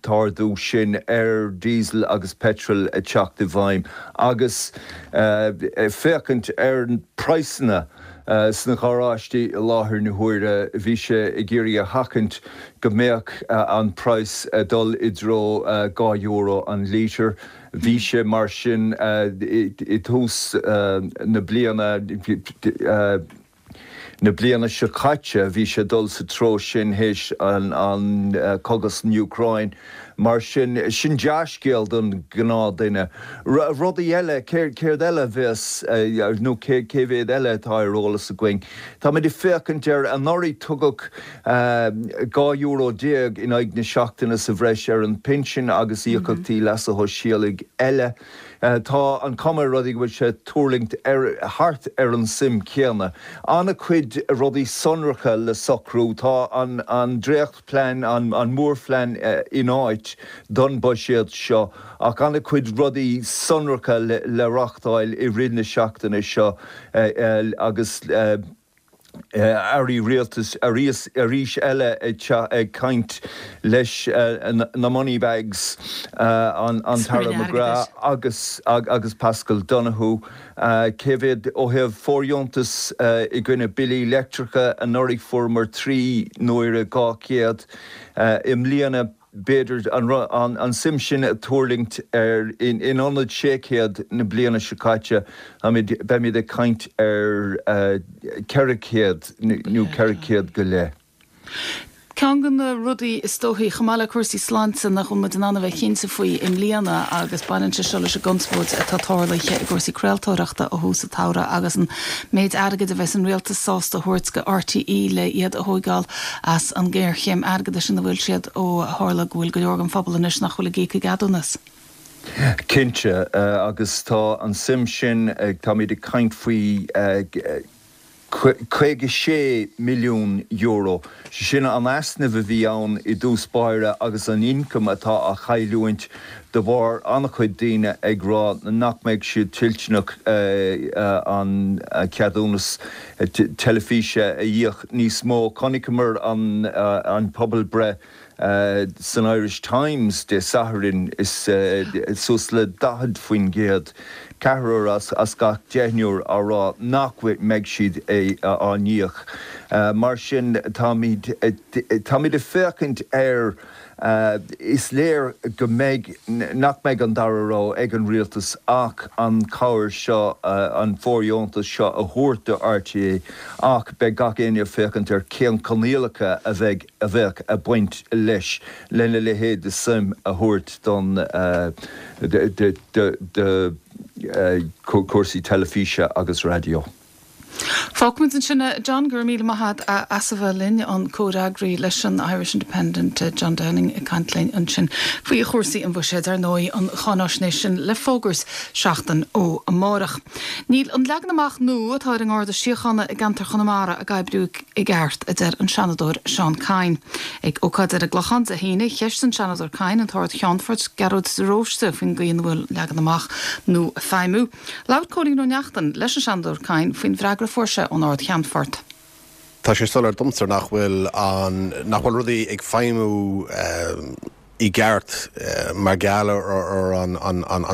t-ardú sin ar diesel agus petrol ag teacht i bhfeidhm agus féachaint ar praghsanna Sna garáistí i láthair na huaire, bhí sé ag iarraidh a sheachaint go mbeadh an praghas ag dul i dtreo €2 an lítear. Bhí sé mar sin i dtús na bliana, na bliana seo caite, bhí sé ag dul sa treo sin théis an cogadh san Úcráin. Mar sin, sin dea-scéal don ghnáthduine. Rudaí eile, céard eile a bheas, nó cé mhéad eile atá ar eolas againn? Táimid ag féachaint ar, anuraidh tugadh €12 in aghaidh na seachtaine sa bhreis ar an bpinsean agus íocaíochtaí leasa shóisialaigh eile. Tá an chuma ar rudaí go bhfuil sé ag tuirlingt ar thart ar an suim chéanna. An-chuid rudaí sonracha le socrú. Tá an dréachtphlean, an mórphlean in áit don bhuiséad seo ach an-chuid rudaí sonracha le reáchtáil i rith na seachtaine seo agus airí rialtais arís eile ag caint leis na moneybags, an tAire McGrath agus Paschal Donohoe. Cé mhéad ó thaobh fóirdheontas i gcoinne billí leictreacha anuraidh fuaireamar 3 n-uaire 200 i mbliana. b'fhéidir, an suim sin ag tuirlingt ar, in ionad 600 na bliana seo caite, beimid ag caint ar 400 nó 400 go leith. Ceann de na rudaí is dóichí, chomh maith le cúrsaí sláinte, nach bhfuil muid in ann a bheith cinnte faoi i mbliana agus baineann sé seo leis an gconspóid atá tarlaithe i gcúrsaí craoltóireachta ó thús an tsamhraidh agus an méid airgid a bheas an rialtas sásta a thabhairt go RTÉ le iad a thóigeáil as an ngéarchéim airgeadais ina bhfuil siad ó tharla go bhfuil go leor den phobal anois nach bhfuil ag íoc a gceadúnas. Cinnte, agus tá an suim sin, táimid ag caint faoi €56 milliún, sin an easnamh a bhí ann i dtús báire agus an ioncam atá á chailliúint de bharr an-chuid daoine ag rá nach mbeidh siad toilteanach an ceadúnas teilifíse a íoc níos mó. Chonaiceamar an pobalbhreith san Irish Times Dé Sathairn, is suas le 40% Ceathrar as gach deichniúr á rá nach mbeidh siad á n-íoc. Mar sin, táimid táimid ag féachaint ar, is léir go mbeidh, nach mbeidh an dara rogha ag an rialtas ach an chabhair seo, an fóirdheontas seo a thabhairt do RTÉ ach beidh gach éinne ag féachaint ar cén coinníollacha a bheidh, a bheadh ag baint leis lena leithéid de suim a thabhairt don, do chúrsaí teilifíse agus raidió. Fágfaimid ansin é, John. Go raibh míle maith agat as a bheith linn, an comhfhreagraí leis an Irish Independent, John Downing ag caint linn ansin faoi chúrsaí an bhuiséid. Ar ndóigh, an cháináisnéis sin le fógairt seachtain ó amárach. Níl an leagan amach nua atá ar an nGarda Síochána i gceantar Chonamara ag oibriú i gceart, a deir an Seanadóir Seán Kyne. Ag ócáid ar an gClochán Dé hAoine, cheistigh an Seanadóir Kyne an tArd-Cheannfort Gearóid de Róiste faoin gcaoi ina bhfuil an leagan amach nua ag feidhmiú. Labhair Cóilín Ó Neachtain leis an Seanadóir Kyne faoin bhfreagra a fuair sé ón Ard-Cheannfort. Tá sé soiléir domsa nach bhfuil an, nach bhfuil rudaí ag feidhmiú i gceart mar gheall ar an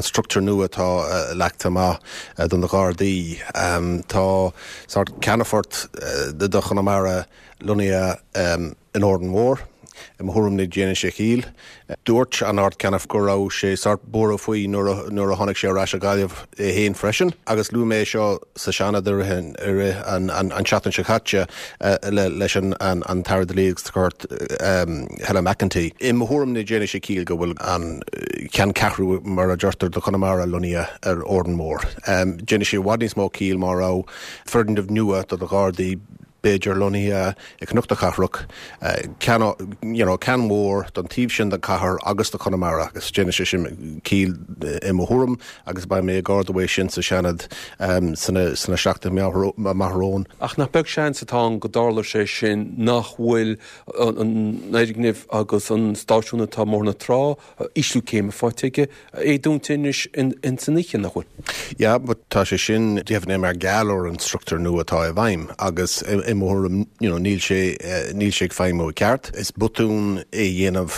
struchtúr nua atá leagtha amach do na Gardaí. Tá sórt ceannfort do Chonamara lonnaithe in Órán Mór. I mo thuairim ní déanann sé ciall. Dúirt an Ard-Cheannfort go raibh sé sórt buartha faoi nuair a tháinig sé ar ais go Gaillimh é féin freisin. Agus luaigh mé é seo sa Seanad i rith an tseachtain seo caite leis an tAire Dlí agus Cirt Helen McEntee. I mo thuairim ní déanann sé ciall go bhfuil an ceanncheathrú mar a deirtear do Chonamara lonnaithe ar Órán Mór. Déanann sé i bhfad níos mó ciall má raibh foirgneamh nua do na Gardaí b'fhéidir lonnaithe i Cnoc na Cathrach, ceann, you know, ceann mhór don taobh sin den chathair agus do Chonamara agus déanann sé sin ciall i mo thuairim agus beidh mé ag ardú é sin sa Seanad sna sna seachtainí amach romhainn. Ach nach beag seans atá ann go dtarlóidh sé sin nach bhfuil an fhoirgneamh agus an stáisiún atá i mBóthar na Trá ísliú céime faighte aige, é dúnta anois ins an oíche, nach bhfuil? Yeah, but tá sé sin deimhnithe mar gheall ar an struchtúr nua atá i bhfeidhm agus i mo thuairim, you know, níl sé, níl sé ag feidhmiú i gceart. Is botún é a dhéanamh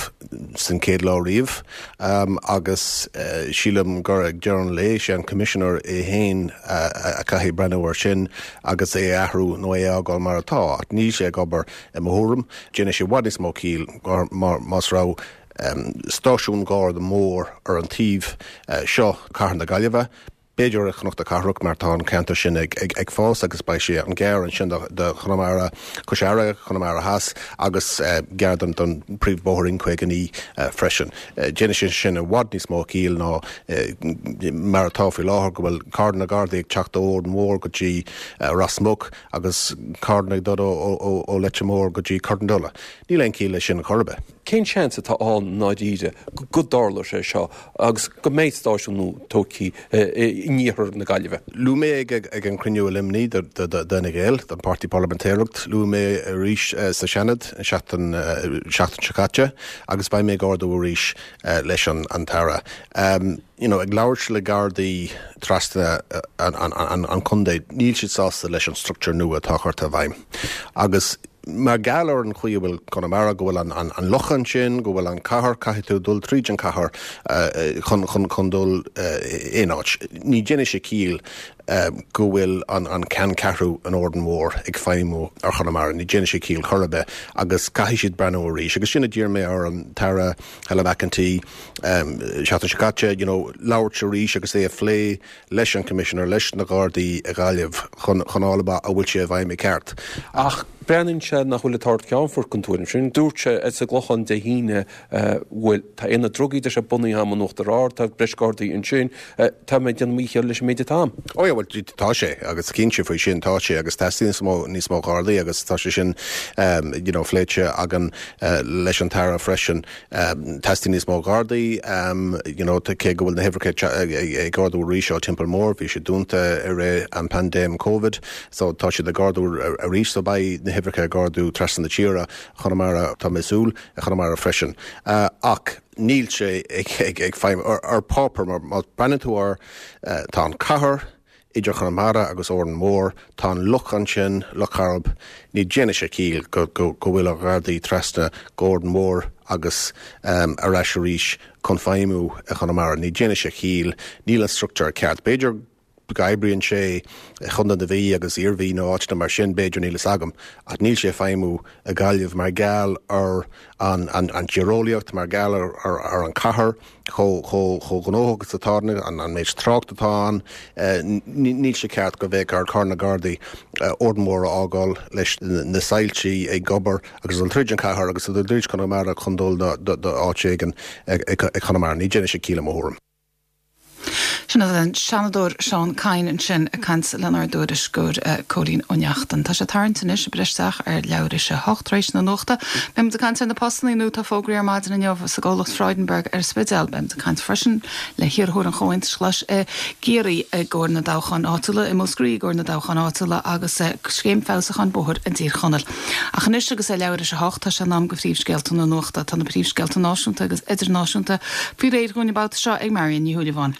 san chéad lá riamh agus sílim gur ag deireadh an lae, sé an Commissioner é féin a chaithfidh breathnú air sin agus é a athrú nó é a fhágáil mar atá. Ach níl sé ag obair i mo thuairim. Déanann sé i bhfad níos mó ciall más raibh stáisiún Garda mór ar an taobh seo Cathair na Gaillimhe, b'fhéidir i Chnoc na Cathrach mar tá an ceantar sin ag fás agus beidh sé an-ghearr ansin do Chonamara, Cois Fharraige, Conamara Theas agus gearr don príomhbhóthar N59 freisin. Déanann sé sin i bhfad níos mó ciall ná mar atá faoi láthair go bhfuil carranna Gardaí ag teacht ó Órán Mór go dtí Ros Muc agus carranna ag dul ó Leitir Móir go dtí Corrandulla. Níl aon chiall leis sin chor ar bith. Cén seans atá ann i ndáiríre go dtarlóidh sé seo agus go mbeidh stáisiún nua tógtha in iarthar na Gaillimhe? Luaigh mé ag an chruinniú i Luimnigh d'Fhine Gael, don Páirtí Parlaimintéireacht, luaigh mé arís sa Seanad an seachtain seo caite agus beidh mé ag ardú arís leis an tAire. You know, ag labhairt le Gardaí trasna an chontae, níl siad sásta leis an struchtúr nua atá curtha i bhfeidhm agus Mar gheall ar an chaoi a bhfuil Conamara, go bhfuil an loch ansin, go bhfuil an cathair, caithfidh tú dul tríd an cathair chun chun dul aon áit. Ní déanann sé ciall go bhfuil an ceanncheathrú in Órán Mór ag feidhmiú ar Chonamara. Ní déanann sé ciall chor ar bith agus caithfidh siad breathnú arís. Agus sin a d'iarr mé ar an tAire Helen McEntee seachtain seo caite, you know, labhairt arís agus é a phlé leis an Commissioner, leis na Gardaí i Gaillimh chun fháil amach an bhfuil sé i bhfeidhm i gceart. Ach breathnaíonn sé nach bhfuil an tArd-Cheannfort den tuairim sin. Dúirt sé sa gClochán Dé hAoine, bhuel, tá aonad drugaí, deir sé, bunaithe agam in Uachtar Ard, tá breis Gardaí ansin, tá mé ag déanamh mo dhícheall leis an méid atá agam. Ó yeah, bhuel, tá sé, agus cinnte faoi sin, tá sé, agus teastaíonn níos mó, níos mó Gardaí agus tá sé sin, you know, pléite againn leis an tAire freisin. Teastaíonn níos mó Gardaí, you know, cé go bhfuil na huimhreacha ag ardú arís ó Teampall Mór, bhí siad dúnta i rith an paindéim Covid, so tá siad ag ardú arís, so beidh na huimhreacha ag ardú trasna na tíre, Chonamara, tá mé ag súil, i Chonamara freisin. Ach níl sé ag feidhmiú ar páipéar, mar má breathnaíonn tú air, tá an cathair. idir Chonamara agus Órán Mór, tá an loch ansin, Loch Coirib, ní déanann sé ciall go bhfuil ar Ghardaí trasna go Órán Mór agus ar ais arís chun feidhmiú i Chonamara. Ní déanann sé ciall, níl an struchtúr ceart. B'fhéidir go oibríonn sé i Chontae na Mí agus Iarmhí nó áiteanna mar sin, b'fhéidir, níl fhios agam, ach níl sé ag feidhmiú i Gaillimh mar gheall ar an tíreolaíocht, mar gheall ar an chathair, chomh gnóthach is atá, an méid trácht atá ann. Níl sé ceart go mbeadh ar na Gardaí Órán Mór a fhágáil leis na soilsí ag obair agus dul tríd an chathair agus dul tríd Conamara chun dul do áit éigin i Conamara. Ní déanann sé ciall i mo thuairim. Sin an Seanadóir Seán Kyne ansin ag caint lenár dtuairisceoir Cóilín Ó Neachtain. Tá sé tarraingt anois ag breith isteach ar leathuair théis a hocht tar éis na nuachta. Beidh muid ag caint ar na postannaí nua atá fógraithe ar maidin inniu sa gcomhlacht Freudenberg ar an Spidéal. Beidh muid ag caint freisin le hiarrthóir an Chomhaontais Ghlais i gCiarraí i gcomhair na dtoghcháin áitiúla, i Múscraí i gcomhair na dtoghcháin áitiúla agus scéim feabhsúcháin bóthair i dTír Chonaill. Ach anois agus é leathuair théis a hocht, tá sé in am go phríomhscéalta na nuachta. Tá na príomhscéalta náisiúnta agus idirnáisiúnta faoi réir dhúinn an babhta seo ag Marion Ní Shúilleabháin.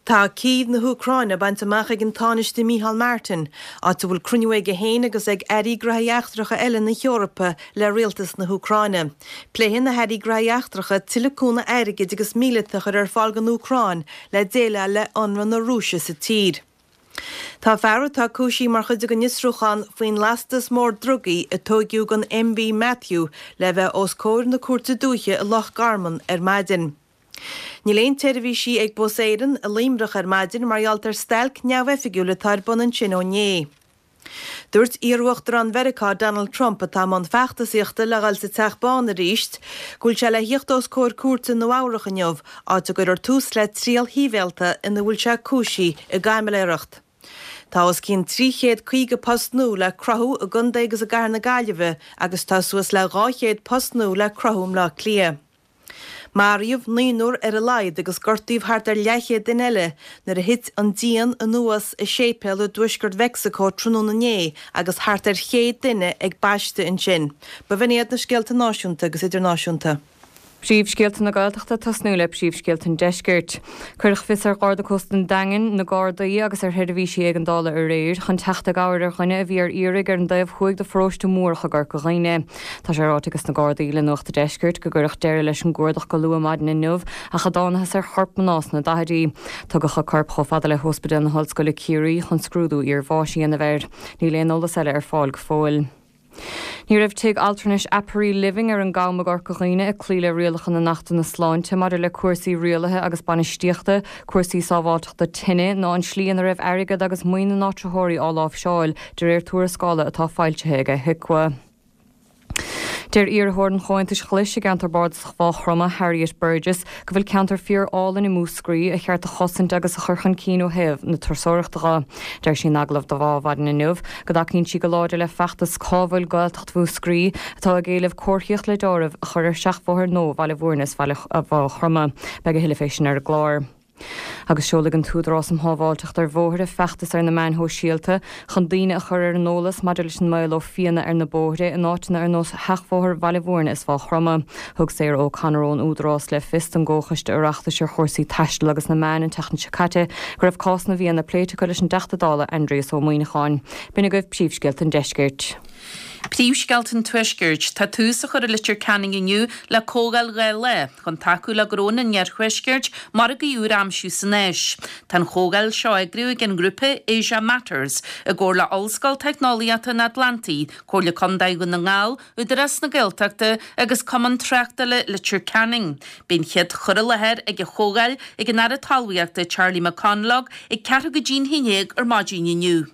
Tá Cív na hÚcráine bainte amach ag an Tánaiste Micheál Martin, áit a bhfuil cruinniú aige féin agus ag airí graithí eachtracha eile na hEorpa le rialtas na hÚcráine. Pléifidh na hairí graithí eachtracha tuilleadh cúnamh airgid agus míleata a chur ar fáil don Úcráin le déileáil le ionradh na Rúise sa tír. Tá fear atá cúisithe mar chuid den fhiosrúchán faoin lastas mór drugaí a tóigeadh den MV Matthew le bheith os comhair na Cúirte Dúiche i Loch Garman ar maidin. Níl aon tseirbhísí ag Bus Éireann i Luimneach ar maidin mar gheall ar stailc neamhoifigiúil atá ar bun ansin ó inné. Dúirt iarUachtarán Mheiriceá Donald Trump, atá i mbun feachtasaíochta le dhul sa Teach Bán arís, go bhfuil sé le thíocht os comhair cúirte i Nua Eabhrach inniu, áit a gcuirfear tús le triail shibhialta ina bhfuil sé cúisithe i gcaimiléireacht. Tá os cionn 350 post nua le cruthú i gcontae agus i gcathair na Gaillimhe agus tá suas le 200 post nua le cruthú i mBleá Cliath. Maraíodh naonúr ar a laghad agus gortaíodh thart ar leathchéad duine eile nuair a thit an díon anuas i séipéal i dtuaisceart Mheicsiceo tráthnóna inné agus thart ar chéad duine ag baisteadh ansin. B'in iad na scéalta náisiúnta agus idirnáisiúnta. Príomhscéalta na Gaeltachta ag tosnú le príomhscéalta an Deiscirt. Cuireadh fios ar Gharda Cósta an Daingin, na Gardaí agus ar sheirbhísí éigeandála aréir chun teacht i gcabhair ar dhuine a bhí ar iarraidh ar an dtaobh thuaidh de pharóiste Múrach i gCorca Dhuibhne. Tá sé ráite ages na Gardaí le Nuacht a' Deiscirt go gcuireadh deireadh leis an gcuardach go luath maidin inniu ach a dtánathas ar chorp mná sna daichidí. Tugadh a corp chomh fada le hOspidéal na hOllscoile Ciarraí chun scrúdú iarbháis a dhéanamh air. Níl aon eolas eile ar fáil go fóill. Ní raibh tigh altranais Aperi Living ar an gCam i gCorca Dhuibhne ag cloí le rialacha na nAchtanna Sláinte maidir le cúrsaí rialaithe agus bainistíochta, cúrsaí sábháilteachta tine ná an slí ina raibh airgead agus maoin na n-áitritheoirí á láimhseáil, de réir tuarascála atá foilsithe ag HIQA. Deir iarrthóir an Chomhaontais Ghlais i gceantar Bardasach Mhaigh Chromtha, Harriet Burgess, go bhfuil ceantar fíor álainn i Múscraí a cheart a chosaint agus a chur chun cinn ó thaobh na turasóireachta dhe. Deir sí in agallamh do Mhadin Inniu go dtacaíonn sí go láidir le feachtas Cá bhfuil Gaeltacht Mhúscraí atá ag éileamh comharthaíocht le deáramh a chur ar sheachbhóthair nua Bhaile Bhúirne is Bhaile Mhaigh Chromtha. Beidh a thuilleadh fé sin ar an gclár. Agus seolfaidh an tÚdarás um Shábháilteacht ar Bhóithre feachtas ar na meáin shóisialta chun daoine a chur ar an eolas maidir leis an mbaol ó phianna ar na bóithre in áiteanna ar nós Sheachbhóthar Bhaile Bhúirne is Mhaigh Chromtha. Thug Sarah O'Connor ón Údarás le fios don gComhchoiste Oireachtais ar chúrsaí Taistil agus na Meáin an tseachtain seo caite go raibh cás na bhfianna pléite acu leis an dTeachta Dála Aindrias Ó Muimhneacháin. B'in agaibh príomhscéalta an deiscirt. Príomhscéalta an Tuaiscirt. Tá tús á chur i Leitir Ceanainn inniu le comhdháil 2 lá chun tacú le gnónna an Iarthuaiscirt margaí úr a aimsiú san Áis. Tá an chomhdháil seo á eagrú ag an ngrúpa Asia Matters i gcomhar le Ollscoil Teicneolaíochta an Atlantaigh, Comhairle Contae Dhún na nGall, Údarás na Gaeltachta agus Cumann Tráchtála Leitir Ceanainn. Beidh an chéad chur i láthair ag an chomhdháil ag an Aire Talmhaíochta Charlie McConalogue ag ceathrú go dtí'n haon dhéag ar maidin inniu.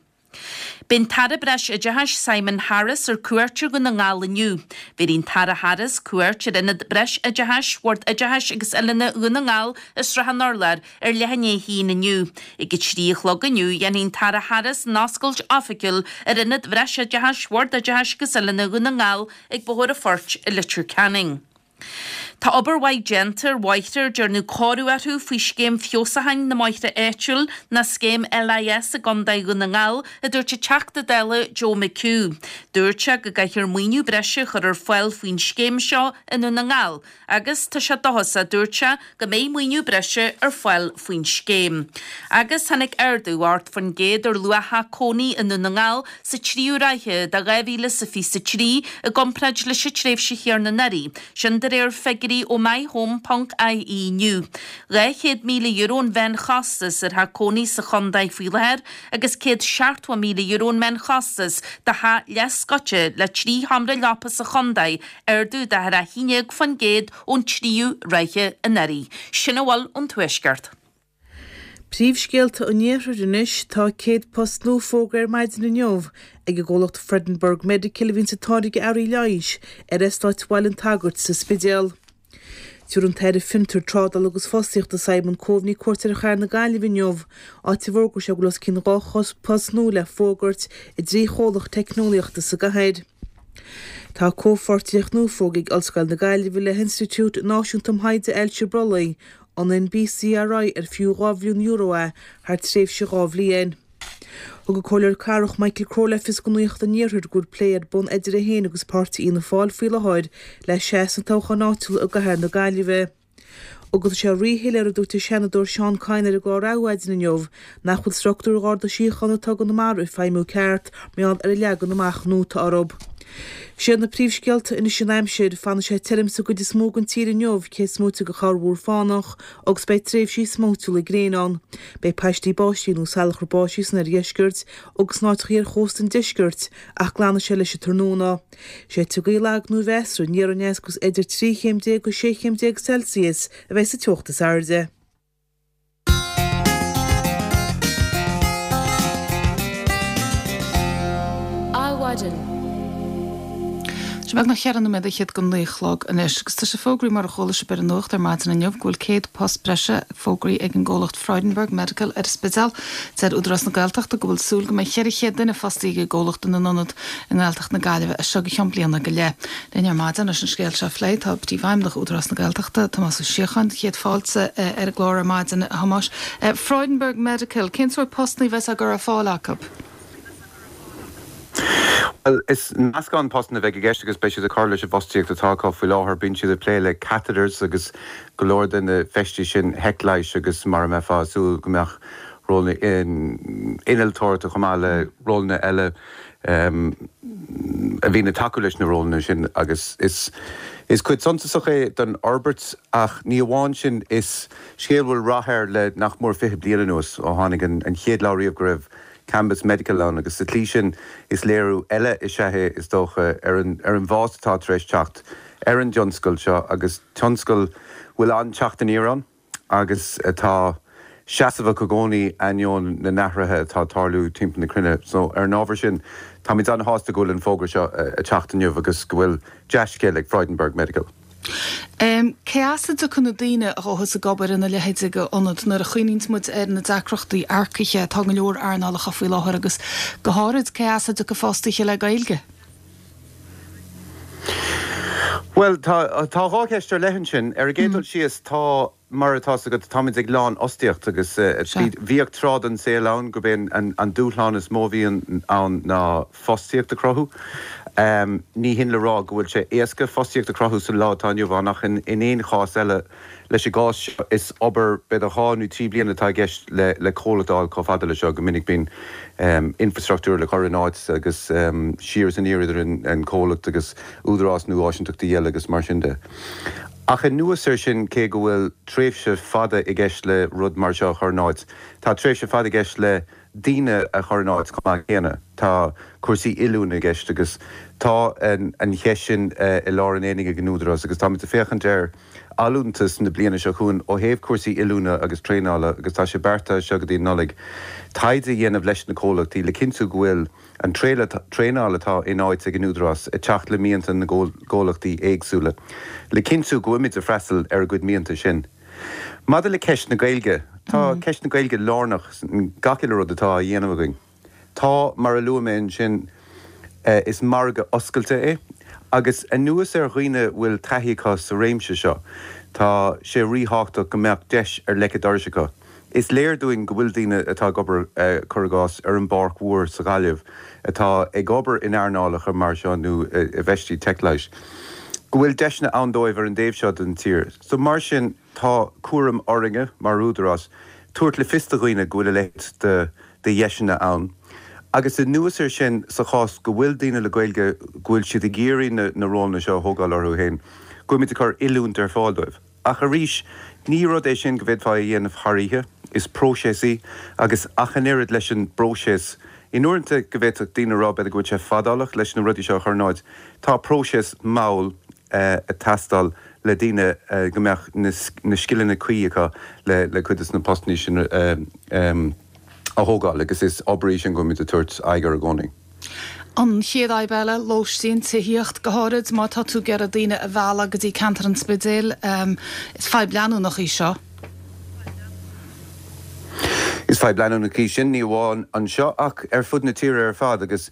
Beidh an tAire Breis-Oideachais Simon Harris ar cuairt ar Dhún na nGall inniu. Bhéarfaidh an tAire Harris cuairt ar Ionad Breis-Oideachais Bhord Oideachais agus Oiliúna Dhún na nGall i Srath an Urláir ar leath i ndiaidh a haon inniu. Ag a 3 a chlog inniu dhéanfaidh an tAire Harris an oscailt oifigiúil ar Ionad Bhreisoideachais Bhord Oideachais agus Oiliúna Dhún na nGall ag Bóthar an Phoirt i Leitir Ceanainn. Tá obair mhaith déanta ar bhóithre ar dearnadh cóiriú orthu faoi Scéim Feabhsúcháin na mBóithre Áitiúil ná Scéim LIS i gContae Dhún na nGall, a dúirt an Teachta Dála Joe McHugh. Dúirt sé go gcaithfear maoiniú breise a chur ar fáil faoin scéim seo i nDún na nGall agus tá sé dóchasach, a dúirt sé, go mbeidh maoiniú breise ar fáil faoin scéim. Agus tháinig ardú 8% ar luach theach cónaí i nDún na nGall sa tríú ráithe de 2023 i gcomparáid leis an tréimhse chéanna anuraidh, sin de réir figiúirí ó MyHome ponc ie inniu. €200,000 an mheánchostas ar theach cónaí sa chontae faoi láthair agus €170,000 an meánchostas do theach leathscoite le 3 sheomra leapa sa chontae, ardú de 11% ón tríú ráithe anuraidh. Sin a bhfuil ón Tuaisceart. Príomhscéalta an Iarthair anois, Tá 100 post nua fógartha ar maidin inniu ag an gcomhlacht Freudenberg Medical a bhíonns ag táirgeadh earraí leighis ar Eastát Bhaile an tSagairt sa Spidéal. Tabharfaidh an tAire Fiontar, Trádála agus Fostaíochta Simon Coveney cuairt ar chathair na Gaillimhe inniu, áit a bhfógróidh sé go bhfuil os cionn 200 post nua le fógairt i dtrí chomhlacht teicneolaíochta sa gcathair. Tá comhpháirtíocht nua fógartha ag Ollscoil na Gaillimhe le hInstitiúid Náisiúnta um Thaighde Ailse Brollaigh, an NBCRI, ar fiú €2 mhilliún é thar tréimhse 2 bhliain. Thug an Comhairleoir Cathrach Michael Crowe le fios do Nuacht an Iarthair go bhfuil plé ar bun idir é féin agus páirtí Fhianna Fáil faoi láthair le seasamh sna toghcháin áitiúla i gcathair na Gaillimhe. Agus tá sé ríshoiléir, a dúirt an Seanadóir Seán Kyne ar an gclár Adhmhaidin inniu, nach bhfuil struchtúr Gharda Síochána atá i gConamara ag feidhmiú ceart mar gheall ar an leagan amach nua atá orthu. Siad na príomhscéalta anois an aimsir, fanfaidh sé tirim sa gcuid is mó den tír inniu, cé is móite de chorrmhúr fánach, agus beidh tréimhsí smóitiúla gréine ann. Beidh paistí báistí nó salachar báistí san oirdheisceart agus in áiteacha ar chósta an deiscirt, ach glanfaidh sé leis an tráthnóna. Séidfidh gaoth lag nó mheasartha aniar aneas agus idir 13 chéim go 16 chéim Celsius a bheidh sa teocht is airde. Adhmhaidin. Tá sé beagnach cheithre nóiméad fhichead go naoi a chlog anois agus tá sé fógraithe mar a chuala sibh ar an nuacht ar maidin inniu go bhfuil 100 post breise fógraithe ag an gcomhlacht Freudenberg Medical ar an Spidéal. Deir Údarás na Gaeltachta go bhfuil súil go mbeidh 400 duine fostaithe ag an gcomhlacht ina n-ionad i nGaeltacht na Gaillimhe as seo go ceann bliana go leith. Linn ar maidin leis an scéal seo a phlé tá Príomhfheidhmeannach Údarás na Gaeltachta, Tomás Ó Síocháin. Céad fáilte ar an gclár ar maidin, a Thomáis. Freudenberg Medical, cén sórt postanna a bheas á gcur ar fáil acu? Bhuel, is meascán postanna a bheidh i gceist agus beidh siad ag cur leis an bhfostaíocht atá acu faoi láthair. Bíonn siad ag plé le catheters agus go leor de na feistí sin leighis agus mar a mbeifeá ag súil go mbeadh rólanna innealtóireachta chomh maith le rólanna eile a bhíonn ag tacú leis na rólanna sin agus is is cuid suntasach é den fhorbairt ach ní amháin sin, is scéal a bhfuil rath air le nach mór 20 bliain anuas ó tháinig an chéad lá riamh go raibh Cambus Medical ann agus sa tslí sin is léiriú eile is ea é is dócha ar an ar an bhfás atá tar éis teacht ar an dtionscal seo agus tionscal a bhfuil an-teacht aniar ann. agus atá seasmhach i gcónaí ainneoin na n-athruithe atá ag tarlú timpeall na cruinne. So, ar an ábhar sin, táimid an-shásta go bhfuil an fógra seo ag teacht inniu agus go bhfuil dea-scéal ag Freudenberg Medical. Cé as a dtiocfaidh na daoine a ghabhfas ag obair ina leithéid de ionad nuair a chuimhníonns muid ar na deacrachtaí earcaithe atá i go leor earnálacha faoi láthair agus go háirid cé as a dtiocfaidh fostaithe le Gaeilge? Bhuel, tá tá dhá cheist ar leith ansin. Ar an gcéad dul síos, tá, mar atá 's agat, táimid ag lánfhostaíocht agus bhíodh tráth den saol ann gurb é an dúshlán is mó a bhí ann ná fostaíocht a chruthú. Ní hin le rá go bhfuil sé éasca fostaíocht a chruthú sa lá atá inniu ann ach in aon chás eile, Leis an gcás seo, is obair b'fhéidir dhá nó trí bliana atá i gceist le comhlacht a fháil chomh fada leis seo. Go minic bíonn infreastruchtúr le cur in áit agus siar is aniar idir an comhlacht agus údarás nó áisinteachtaí eile agus mar sin de. Ach anuas air sin, cé go bhfuil tréimhse fada i gceist le rud mar seo a chur in áit, tá tréimhse fada i gceist le daoine a chur in áit chomh maith céanna. Tá cúrsaí oiliúna i gceist agus tá an cheist sin i lár an aonaigh ag an Údarás agus táimid ag féachaint ar allúntas na bliana seo chugainn ó thaobh cúrsaí oiliúna agus traenála agus tá sé beartaithe as seo go dtí an Nollaig taighde a dhéanamh leis na comhlachtaí le cinntiú go bhfuil an traenáil atá in áit ag an Údarás ag teacht le mianta na gcomhlachtaí éagsúla le cinntiú go bhfuimid ag freastal ar a gcuid mianta sin. Maidir le ceist na Gaeilge, tá ceist na Gaeilge lárnach in gach uile rud atá á dhéanamh againn. Tá, mar a luaigh mé ansin, is margadh oscailte é. Agus anuas ar dhaoine a bhfuil taithí acu sa réimse seo, tá sé ríthábhachtach go mbeadh deis ar leic an dorais acu. Is léir dúinn go bhfuil daoine atá ag obair, cuir i gcás, ar an bPáirc Mhór sa Ghaillimh, atá ag obair in earnálacha mar seo nó i bhfeistí teicleighis, go bhfuil deiseanna ann dóibh ar an dtaobh seo den tír. So mar sin, tá cúram orainne mar Údarás tabhairt le fios do dhaoine go bhfuil a leithéid de de dheiseanna ann. Agus anuas air sin, sa chás go bhfuil daoine le Gaeilge, go bhfuil siad ag iarraidh na na rólanna seo a thógáil orthu féin, go bhfuilimid ag cur oiliúint ar fáil dóibh. Ach arís, ní rud é sin go bhféadfá a dhéanamh thar oíche, is próiseas í, agus ach an oiread leis an bpróiseas, in uaireanta go bhféadfadh daoine a rá b'fhéidir go bhfuil sé fadálach leis na rudaí seo a chur in áit, tá próiseas mall ag teastáil le daoine go mbeadh na scileanna cuí acu le cuid de na postanna sin a thógáil agus is obair í sin go bhfuilimid ag tabhairt aghaidh air i gcónaí. An chéad fhadhb eile, lóistín, tithíocht, go háirid má tá tú ag iarraidh daoine a mhealladh go dtí ceantar an Spidéil. Is fadhb leanúnach í seo. Is fadhb leanúnach í sin, ní amháin anseo ach ar fud na tíre ar fad agus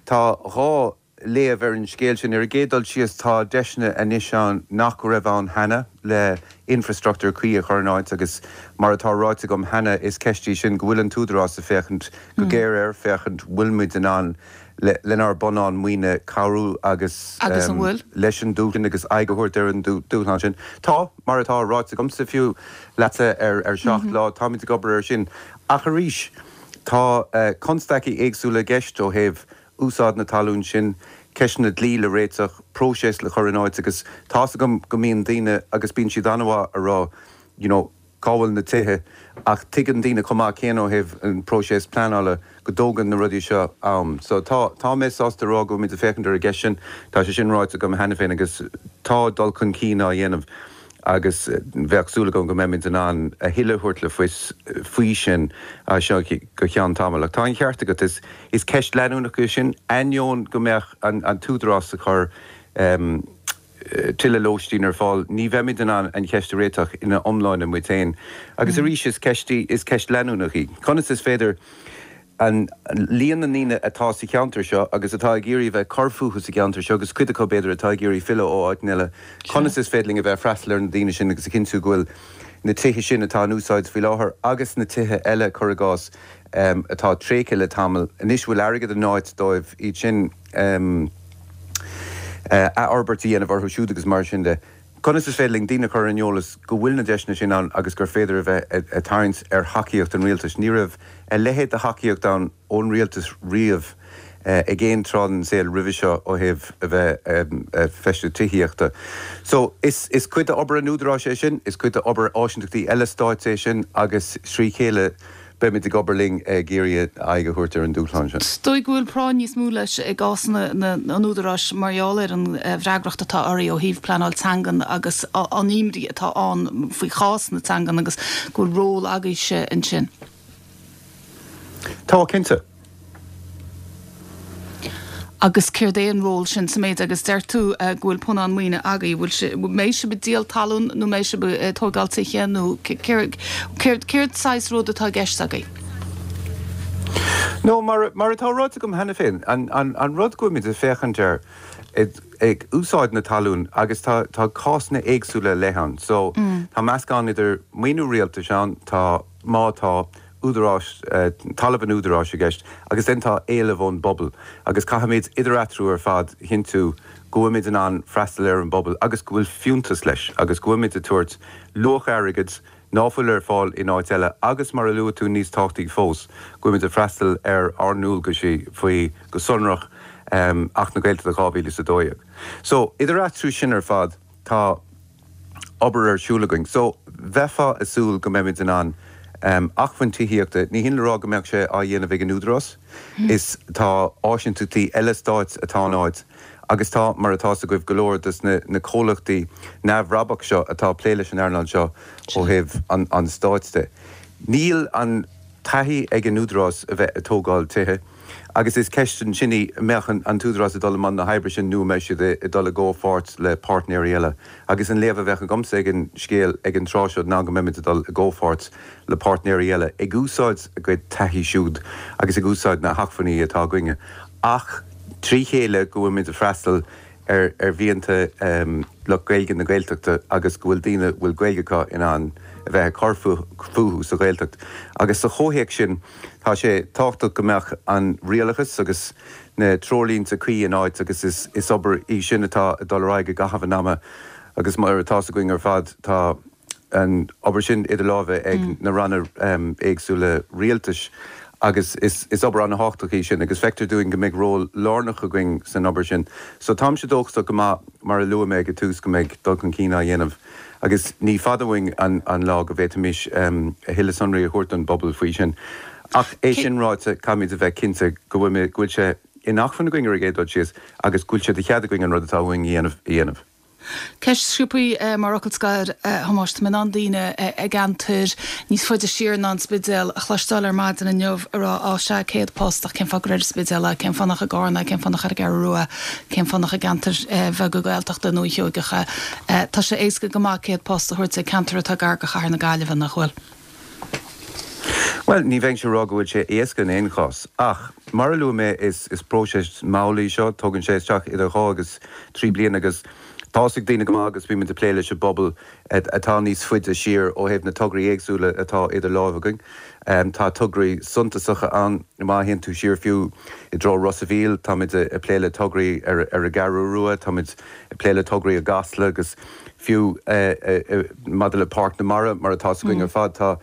tá 2 léamh ar an scéal sin. Ar an gcéad dul síos, tá deiseanna anois ann nach raibh ann cheana le infreastruchtúr cuí a chur in áit agus mar atá ráite agam cheana, is ceist í sin go bhfuil an tÚdarás ag féachaint go géar air, féachaint bhfuil muid in ann lenár bpunann maoine cabhrú agus Agus an bhfuil? leis an dúshlán agus aghaidh a thabhairt ar an dúshlán sin. Tá, mar atá ráite agamsa fiú leatsa ar 7 Lá, táimid ag obair air sin. Ach arís, tá constaicí éagsúla i gceist ó thaobh úsáid na talún sin, ceisteanna dlí le réiteach, próiseas le cur in áit agus tá's agam go mbíonn daoine agus bíonn siad an-mhaith a rá you know cá bhfuil na tithe ach tuigeann daoine chomh maith céanna ó thaobh an próiseas pleanála go dtógann na rudaí seo am. So tá, tá mé sásta a rá go bhfuilimid ag féachaint ar an gceist sin, tá sé sin ráite agam cheana féin agus tá dul chun cinn á dhéanamh. agus bheadh súil agam go mbeimid in ann a thuilleadh a thabhairt le fios faoi sin as seo go ceann tamaill. Ach tá an ceart agat, is ceist leanúnach í sin, ainneoin go mbeadh an tÚdarás ag cur tuilleadh lóistín ar fáil, ní bheimid in ann an cheist a réiteach ina iomláine muid féin. Agus arís, is ceist í, is ceist leanúnach í. Conas is féidir. an líon na ndaoine atá sa cheantar seo agus atá ag iarraidh a bheith ag cur fúthu sa gceantar seo agus cuid acu b'fhéidir atá ag iarraidh filleadh ó áiteanna eile, conas is féidir linn a bheith ag freastal ar na daoine sin agus a chinntiú go bhfuil na tithe sin atá in úsáid faoi láthair agus na tithe eile, cuir i gcás, atá tréigthe le tamall anois, bhfuil airgead in áit dóibh iad sin athfhorbairt a dhéanamh orthu siúd agus mar sin de. Conas is féidir linn daoine a chur ar an eolas go bhfuil na deiseanna sin ann agus gur féidir a bheith ag tarraingt ar thacaíocht an rialtais? Ní raibh a leithéid de thacaíocht ann ón rialtas riamh ag aon tráth den saol roimhe seo ó thaobh a bheith ag feistiú tithíochta. So, is cuid d'obair an Údaráis é sin, is cuid d'obair áisíntachtaí eile stáit é sin agus trí chéile Beimid ag obair linn ag iarraidh aghaidh a thabhairt ar an dúshlán sin. Is dóigh go bhfuil práinn níos mó leis i gcás an Údaráis mar gheall ar an bhfreagracht atá oraibh ó thaobh pleanáil teangan agus an imní atá ann faoi chás na teangan agus go bhfuil ról agaibhse ansin. Tá, cinnte. Agus céard é an ról sin sa méid agus deir tú go bhfuil punann maoine agaibh, bhfuil sé, mbeidh sibh ag díol talún nó mbeidh sibh ag tóigeáil tithe nó céard, céard, céard saghas rud atá i gceist agaibh? No, mar, mar atá ráite agam cheana féin, an, an, an rud go bhfuilimid ag féachaint air ag, ag úsáid na talún agus tá, tá cásanna éagsúla ar leith ann. So, tá meascán idir maoiniú rialtais ann, tá, má tá, údaráis, talamh an údaráis i gceist agus then tá éileamh ón bpobal agus caithfimid idir eatarthu ar fad a chinntiú go bhfuilimid in ann freastal ar an bpobal agus go bhfuil fiúntas leis agus go bhfuilimid ag tabhairt luach airgid ná fuil ar fáil in áit eile agus mar a luaigh tú níos tábhachtaí fós go bhfuilimid ag freastal ar ár ndualgaisí faoi go sonrach Acht na Gaeltachta 2012. So idir eatarthu sin ar fad tá. obair ar siúl againn. So, bheifeá ag súil go mbeimid in ann acmhainn tithíochta, ní hin le rá go mbeadh sé á dhéanamh ag an Údarás, is tá áisíntachtaí eile stáit atá in áit agus tá, mar atá 's agaibh, go leor dos na na comhlachtaí neamhbhrabach seo atá ag plé leis an earnáil seo ó thaobh an stáit de. Níl an taithí ag an Údarás a bheith ag tógáil tithe. Agus is ceist ansin í, an mbeadh an tÚdarás ag dul i mbun na hoibre sin nó an mbeidh siad ag dul i gcomhpháirt le páirtnéirí eile? Agus an léamh a bheadh agamsa ag an scéal ag an tráth seo ná go mbeimid ag dul i gcomhpháirt le páirtnéirí eile, ag úsáid a gcuid taithí siúd agus ag úsáid na hacmhainní atá againne, ach trí chéile go bhfuilimid ag freastal. ar ar mhianta lucht Gaeilge na Gaeltachta agus go bhfuil daoine a bhfuil Gaeilge acu in ann a bheith ag cur fúthu sa Ghaeltacht. Agus sa chomhthéacs sin, tá sé tábhachtach go mbeadh an rialachas agus na treoirlínte cuí in áit agus is is obair í sin atá ag dul ar aghaidh i gcaitheamh an ama agus mar atá's againn ar fad tá an obair sin idir lámha ag na ranna éagsúla rialtais agus is obair an-thábhachtach í sin agus feictear dúinn go mbeidh ról lárnach againn san obair sin. So táimse dóchasach go maith, mar a luaigh mé ag an tús, go mbeidh dul chun cinn á dhéanamh agus ní fada uainn an lá go bhféadfaimis a thuilleadh sonraí a thabhairt don bpobal faoi sin. Ach é sin ráite, caithfimid a bheith cinnte go bhfuil sé in acmhainn againn ar an gcéad dul síos agus go bhfuil sé de chead againn an rud atá uainn a dhéanamh a dhéanamh. Ceist sciobtha mar fhocal scoir, a Thomáis. Tá mé in ann daoine i gceantair níos faide siar ná an Spidéal a chloisteáil ar maidin inniu ag rá, á sea, 100 post, ach cén fáth gur ar an Spidéal é, cén fáth nach i gCarna é, cén fáth nach ar an gCeathrú Rua, cén fáth nach i gceantair bheaga Gaeltachta i nDúiche Sheoigeach é. Tá sé éasca go maith 100 post a thabhairt ag ceantar atá gar do chathair na Gaillimhe, nach bhfuil? Bhuel, ní bheinnse ag rá go bhfuil sé éasca in aon chás. Ach, mar a luaigh mé, is próiseas mall í seo, tógann sé isteach idir dhá agus trí bliana agus tá's ag daoine go maith agus bímid ag plé leis an bpobal atá níos faide siar ó thaobh na tograí éagsúla atá idir láimh againn. Tá tograí suntasacha ann, má théann tú siar fiú i dtreo Ros a' Mhíl, táimid ag plé le tograí ar an gCeathrú Rua, táimid ag plé le tograí i gCasla agus fiú maidir le Páirc na Mara, mar atá's againn ar fad, tá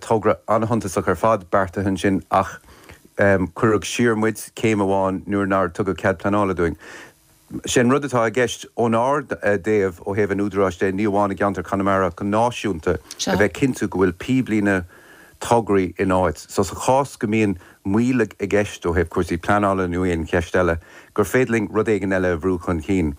togra an-shuntasach ar fad beartaithe ansin ach cuireadh siar muid céim amháin nuair nár tugadh cead pleanála dúinn. Sé an rud atá i gceist ónár dtaobh, ó thaobh an Údaráis de, ní amháin i gceantar Chonamara ach go náisiúnta, a bheith cinntiú go bhfuil píblíne tograí in áit. So sa chás go mbíonn moill i gceist ó thaobh cúrsaí pleanála nó aon cheist eile, gur féidir linn rud éigin eile a bhrú chun cinn.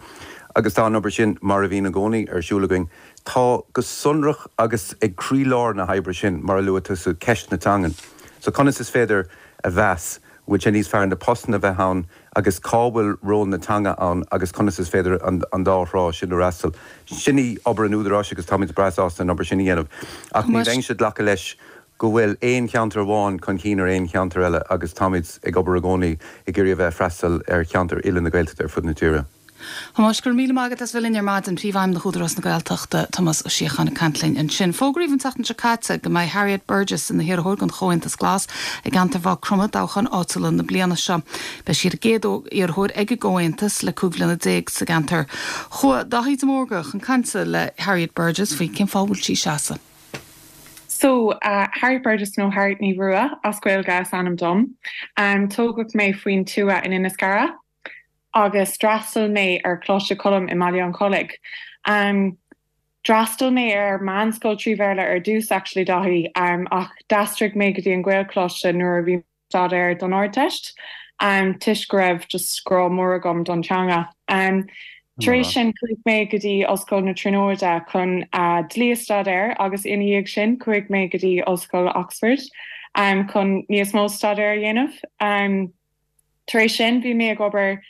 Agus tá an obair sin, mar a bhíonn i gcónaí, ar siúl againn. Tá go sonrach agus ag croílár na hoibre sin, mar a luaigh tusa, ceist na teangan. So conas is féidir a mheas bhfuil sé níos fearr na postanna a bheith ann agus cá bhfuil ról na teanga ann agus conas is féidir an dá thrá sin a fhreastal. Sin í obair an Údaráis agus táimid breá sásta an obair sin a dhéanamh. Ach ní bheinnse ag glacadh leis go bhfuil aon cheantar amháin chun cinn ar aon cheantar eile agus táimid ag obair i gcónaí ag iarraidh a bheith ag freastal ar cheantair uile na Gaeltachta ar fud na tíre. Thomáis, go raibh míle maith agat as bheith linn ar maidin. Príomhfheidhmeannach Údarás na Gaeltachta, Tomás Ó Síocháin ag caint linn ansin. Fógraíodh an tseachtain seo caite go mbeidh Harriet Burgess ina hiarrthóir don Chomhaontas Glas i gceantar Mhaigh Chromtha i dtoghchán áitiúla na bliana seo. Beidh sí ar an gcéad iarrthóir ag an gComhaontas le 15 bhliana sa gceantar. Chuaigh Daithí de Mórdha chun cainte le Harriet Burgess faoi cén fáth a bhfuil sí ag seasamh. So, Harriet Burgess nó Harriet Ní Rua as Gaeilge is ainm dom. Tógadh mé faoin tuath in Inis Gearra. agus d'fhreastail mé ar Choláiste Choilm i mBaile an Chollaigh. D'fhreastail mé ar meánscoil trí Bhéarla ar dtús actually Daithí ach d'aistrigh mé go dtí an Gaelcholáiste nuair a bhí mé ag staidéar don Ardteist toisc go raibh just grá mór agam don teanga. Tar éis sin chuaigh mé go dtí Ollscoil na Tríonóide chun dlí a staidéar agus ina dhiaidh sin chuaigh mé go dtí Ollscoil Oxford chun níos mó staidéar a dhéanamh. Tar éis sin, bhí mé ag obair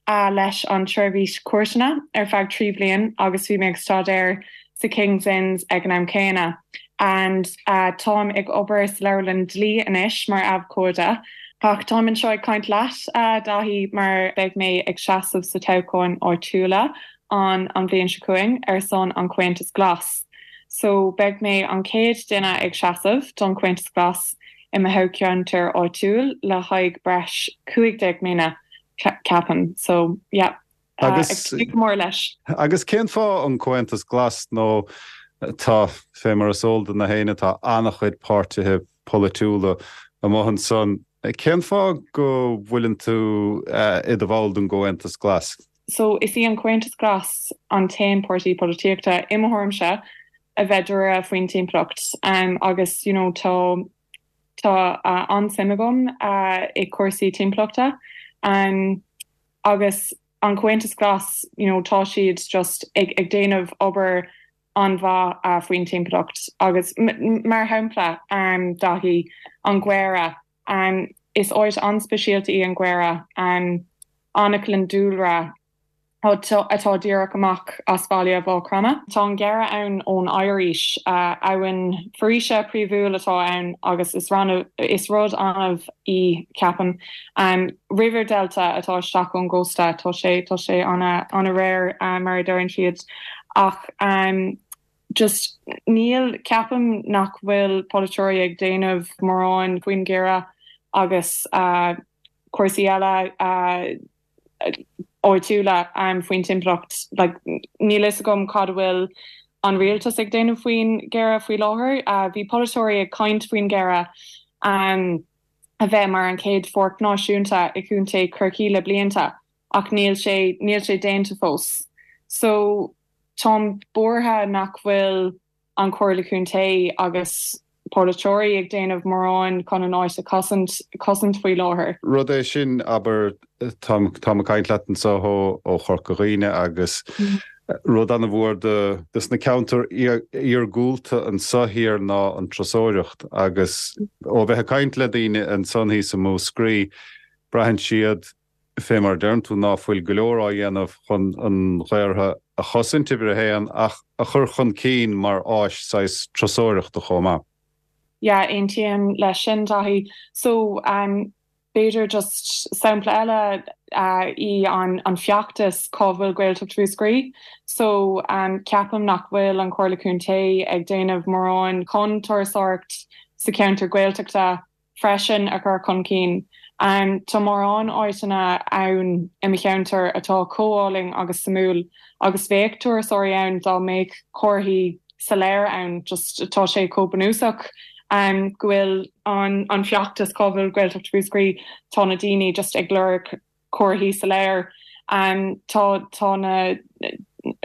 leis an tSeirbhís Cúirteanna ar feadh 3 bhliain agus bhí mé ag staidéar sa King's Inns ag an am céanna. And táim ag obair sa Leabharlann Dlí anois mar abhcóide. Ach táim anseo ag caint leat, a Dhaithí, mar beidh mé ag seasamh sa toghcháin áitiúla an an bhliain seo chugainn ar son an Comhaontas Glas. So beidh mé an chéad duine ag seasamh don Comhaontas Glas i mo thoghcheantar áitiúil le haghaidh breis 15 mbliana, ceapaim. So, yeah, ag tnúth go mór leis. Agus cén fáth an Comhaontas Glas nó tá, fé mar is eol do na héinne, tá an-chuid páirtithe polaitiúla amuigh ansan. Cén fáth go bhfuileann tú i do bhall den gComhaontas Glas? So, is í an Comhaontas Glas an t-aon páirtí polaitíochta, i mo thuairimse, a bheith dáiríre faoin timpeallacht agus you know tá tá an-suim agam i cúrsaí timpeallachta agus an Comhaontas Glas you know tá siad just ag ag déanamh obair an-mhaith faoin timpeallacht agus mar shampla Daithí, an Mhachaire, is áit an-speisialta í an Mhachaire, anaclann dúlra. Atá díreach amach as baile Mhaigh Chromtha. Tá an Gearra ann ón Oighir-Aois. Abhainn foraoise príomhúil atá ann agus is is rud annamh í, ceapaim. River delta atá isteach ón gcósta, tá sé tá sé an-rare mar a deireann siad. Ach just níl, ceapaim nach bhfuil polaiteoirí ag déanamh mórán faoin gCeara agus cúrsaí eile. áitiúla faoin timpeallacht. Like, níl fhios agam cad a bhfuil an rialtas ag déanamh faoin gCeara faoi láthair. Bhí polaiteoirí ag caint faoin gCeara a bheith mar an chéad pháirc náisiúnta i gContae Chorcaí le blianta ach níl sé, níl sé déanta fós. So, táim buartha nach bhfuil an Chomhairle Contae agus polaiteoirí ag déanamh mórán chun an áit a chosaint chosaint faoi láthair. Rud é sin, abair, táim táim ag caint leat anseo ó ó Chorca Dhuibhne agus rud an-mhór do dos na ceantair iargúlta anseo thiar ná an turasóireacht agus ó bheith ag caint le daoine ansan thíos i Múscraí, braitheann siad fé mar a deireann tú, ná fuil go leor á dhéanamh chun an Ghaortha a chosaint, uimhir a haon, ach a chur chun cinn mar áis saghas turasóireachta chomh maith. Yeah, aontaím leis sin, Daithí. So, b'fhéidir just sampla eile í an an feachtas Cá bhfuil Gaeltacht Mhúscraí? So, ceapaim nach bhfuil an Chomhairle Contae ag déanamh mórán chun turasóireacht sa cheantar Gaeltachta freisin a chur chun cinn. Tá mórán áiteanna ann i mo cheantar atá chomh álainn agus suimiúil agus bheadh turasóirí ann dá mbeadh comharthaí soiléir ann, just tá sé chomh bunúsach go bhfuil an feachtas Cá bhfuil Gaeltacht Mhúscraí, tá na daoine just ag lorg comharthaí soiléir. Tá tá na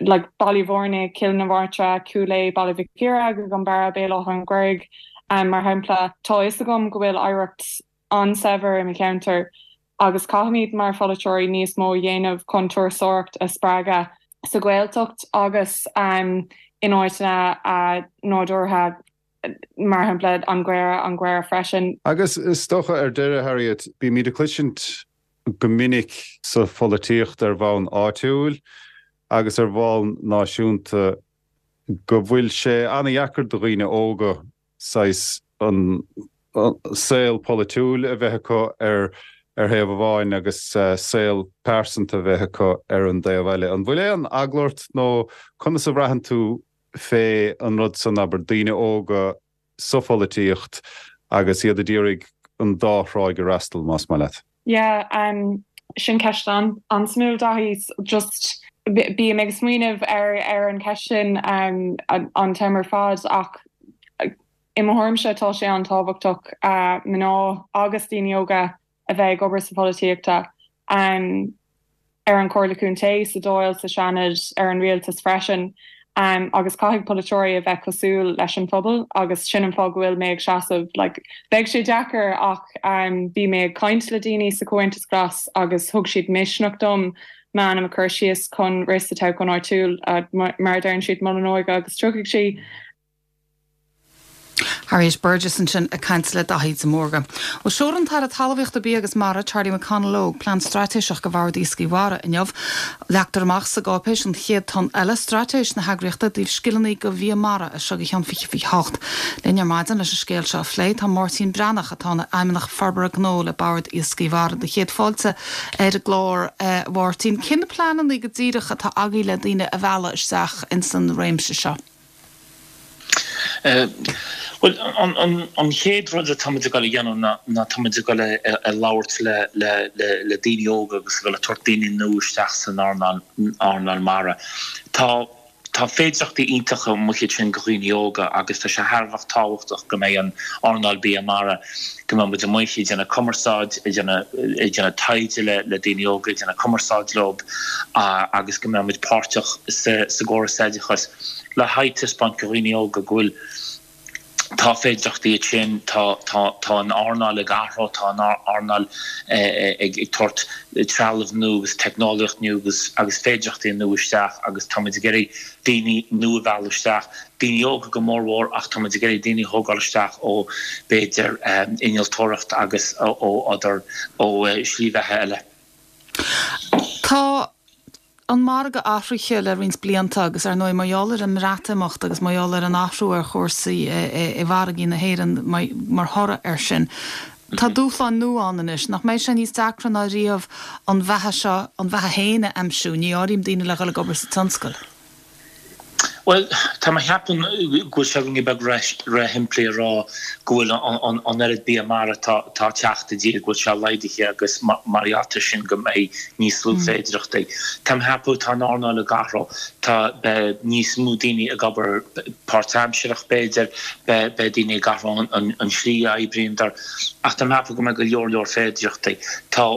like Baile Mhúirne, Cill na Martra, Cúil Aodha, Baile Mhic Íre, An Barra, Béal Átha an Ghaorthaidh mar shampla. Tá fhios agam go bhfuil oidhreacht an-saibhir i mo cheantar agus caithfimid mar pholaiteoirí níos mó a dhéanamh chun turasóireacht a spreagadh sa Ghaeltacht agus in áiteanna nádúrtha mar shampla an Ghaorthadh, an Ghaorthadh freisin. Agus is dócha ar deireadh, Harriet, bímid ag cloisint go minic sa pholaitíocht ar bhonn áitiúil agus ar bhonn náisiúnta go bhfuil sé an-dheacair do dhaoine óga saghas an saol polaitiúil a bheith acu ar ar thaobh amháin agus saol pearsanta a bheith acu ar an dtaobh eile. An bhfuil aon eagla ort nó conas a bhraitheann tú fé an rud san, abair, daoine óga sa pholaitíocht agus iad a d'iarraidh an dá thráigh a fhreastal, más maith leat. Yeah, sin ceist an-suimiúil, Daithí. Just, bím ag smaoineamh ar ar an cheist sin an t-am ar fad ach i mo thuairimse tá sé an-tábhachtach mná agus daoine óga a bheith ag obair sa pholaitíochta, ar an Chomhairle Contae, sa Dáil, sa Seanad, ar an Rialtas freisin. Agus caithfidh polaiteoirí a bheith cosúil leis an phobal agus sin an fáth go bhfuil mé ag seasamh. Like, beidh sé deacair ach bhí mé ag caint le daoine sa Chomhaontas Glas agus thug siad misneach dom m'ainm a chur síos chun rith sa toghchán áitiúil, mar a deireann siad, mol an óige agus tiocfaidh sí. Harriet Burgess ansin ag caint le Daithí de Mórdha. Bhuel, seolfaidh an tAire Talmhaíochta, Bia agus Mara, Charlie McConalogue, plean straitéiseach do Bhord Iascaigh Mhara inniu. Leagtar amach sa gcáipéis An Chéad Tonn Eile, straitéis na heagraíochta i dtaobh scileanna do bhia mara as seo go ceann 2028. Linn ar maidin leis an scéal seo a phlé tá Máirtín Breathnach atá ina Fheidhmeannach Forbartha Gnó le Bord Iascaigh Mhara. Do chéad fáilte ar an gclár, a Mháirtín. Cé na pleananna go díreach atá agaibh le daoine a mhealladh isteach ins an réimse seo? Bhuel, an chéad rud atá muid ag dul a dhéanamh ná tá muid ag dul a labhairt le daoine óga agus ag dul a tabhairt daoine nua isteach san earnáil mara. Tá tá féidearthachtaí iontacha amuigh ansin do dhaoine óga agus tá sé thar a bheith tábhachtach go mbeidh an earnáil bia mara, go mbeidh muid amuigh ag déanamh cumarsáid, ag déanamh taighde le daoine óga, ag déanamh cumarsáid leo agus go mbeidh muid páirteach sa gcóras oideachais. le haghaidh taispeáint do dhaoine óga go bhfuil, tá féidearthachtaí ansin, tá, tá, tá an earnáil ag athrú, tá an earnáil ag tabhairt trealamh nua agus teicneolaíocht nua agus, agus féidearthachtaí nua isteach agus tá muid ag iarraidh daoine nua a mhealladh isteach, daoine óga go mórmhór ach tá muid ag iarraidh daoine a thógáil isteach ó b'fhéidir innealtóireacht agus ó other, ó shlí bheatha eile. Tá. an margadh athraithe le roinnt blianta agus ar ndóigh mar gheall ar an mBreatimeacht agus mar gheall ar an athrú ar chúrsaí i bhfarraigí na hÉireann mar thoradh air sin, tá dúshláin nua ann anois. Nach mbeidh sé níos deacra ná riamh an bheatha seo, an bheatha féin a aimsiú, ní áirím daoine le dhul ag obair sa tionscal. Bhuel, tá mé a cheapadh go bhfuil sé ruainne beag ró-shimplí a rá go bhfuil an oiread bia mara atá ag teacht i dtír, go bhfuil sé laghdaithe agus mar gheall air sin go mbeidh níos lú féidireachtaí. Tá mé a cheapadh tá an earnáil ag athrú. Tá, beidh níos mó daoine ag obair páirtaimsearach b'fhéidir, beidh daoine ag athrú an slí a oibríondar ach tá mé a cheapadh go mbeidh go leor leor féidireachtaí. Tá.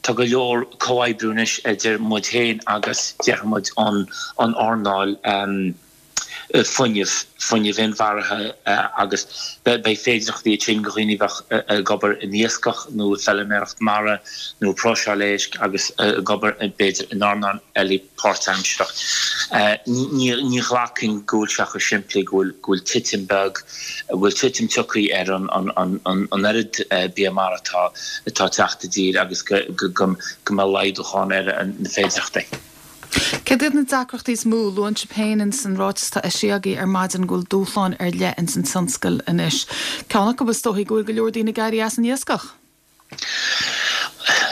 Tá go leor comhoibriú anois idir muid féin agus, déarfaidh muid, an earnáil fuinnimh, fuinneamh inmharthana agus beidh féidireachtaí ansin do dhaoine a bheadh ag obair in iascach nó i bhfeilméaracht mara nó ag próiseáil éisc agus ag obair b'fhéidir in earnáil eile páirtaimsearach. Ní ghlacfainn go bhfuil sé chomh simplí go bhfuil titim beag go bhfuil titim tioctha ar an oiread bia mara atá ag teacht i dtír agus go mbeidh laghdúchán ar na féidireachtaí. Céard iad na deacrachtaí is mó? Luann sibh féin ins an ráiteas atá eisithe agaibh ar maidin go bhfuil dúshláin ar leith ins an tionscal anois. Ceann acu is dóichí go bhfuil go leor daoine ag éirí as an iascach.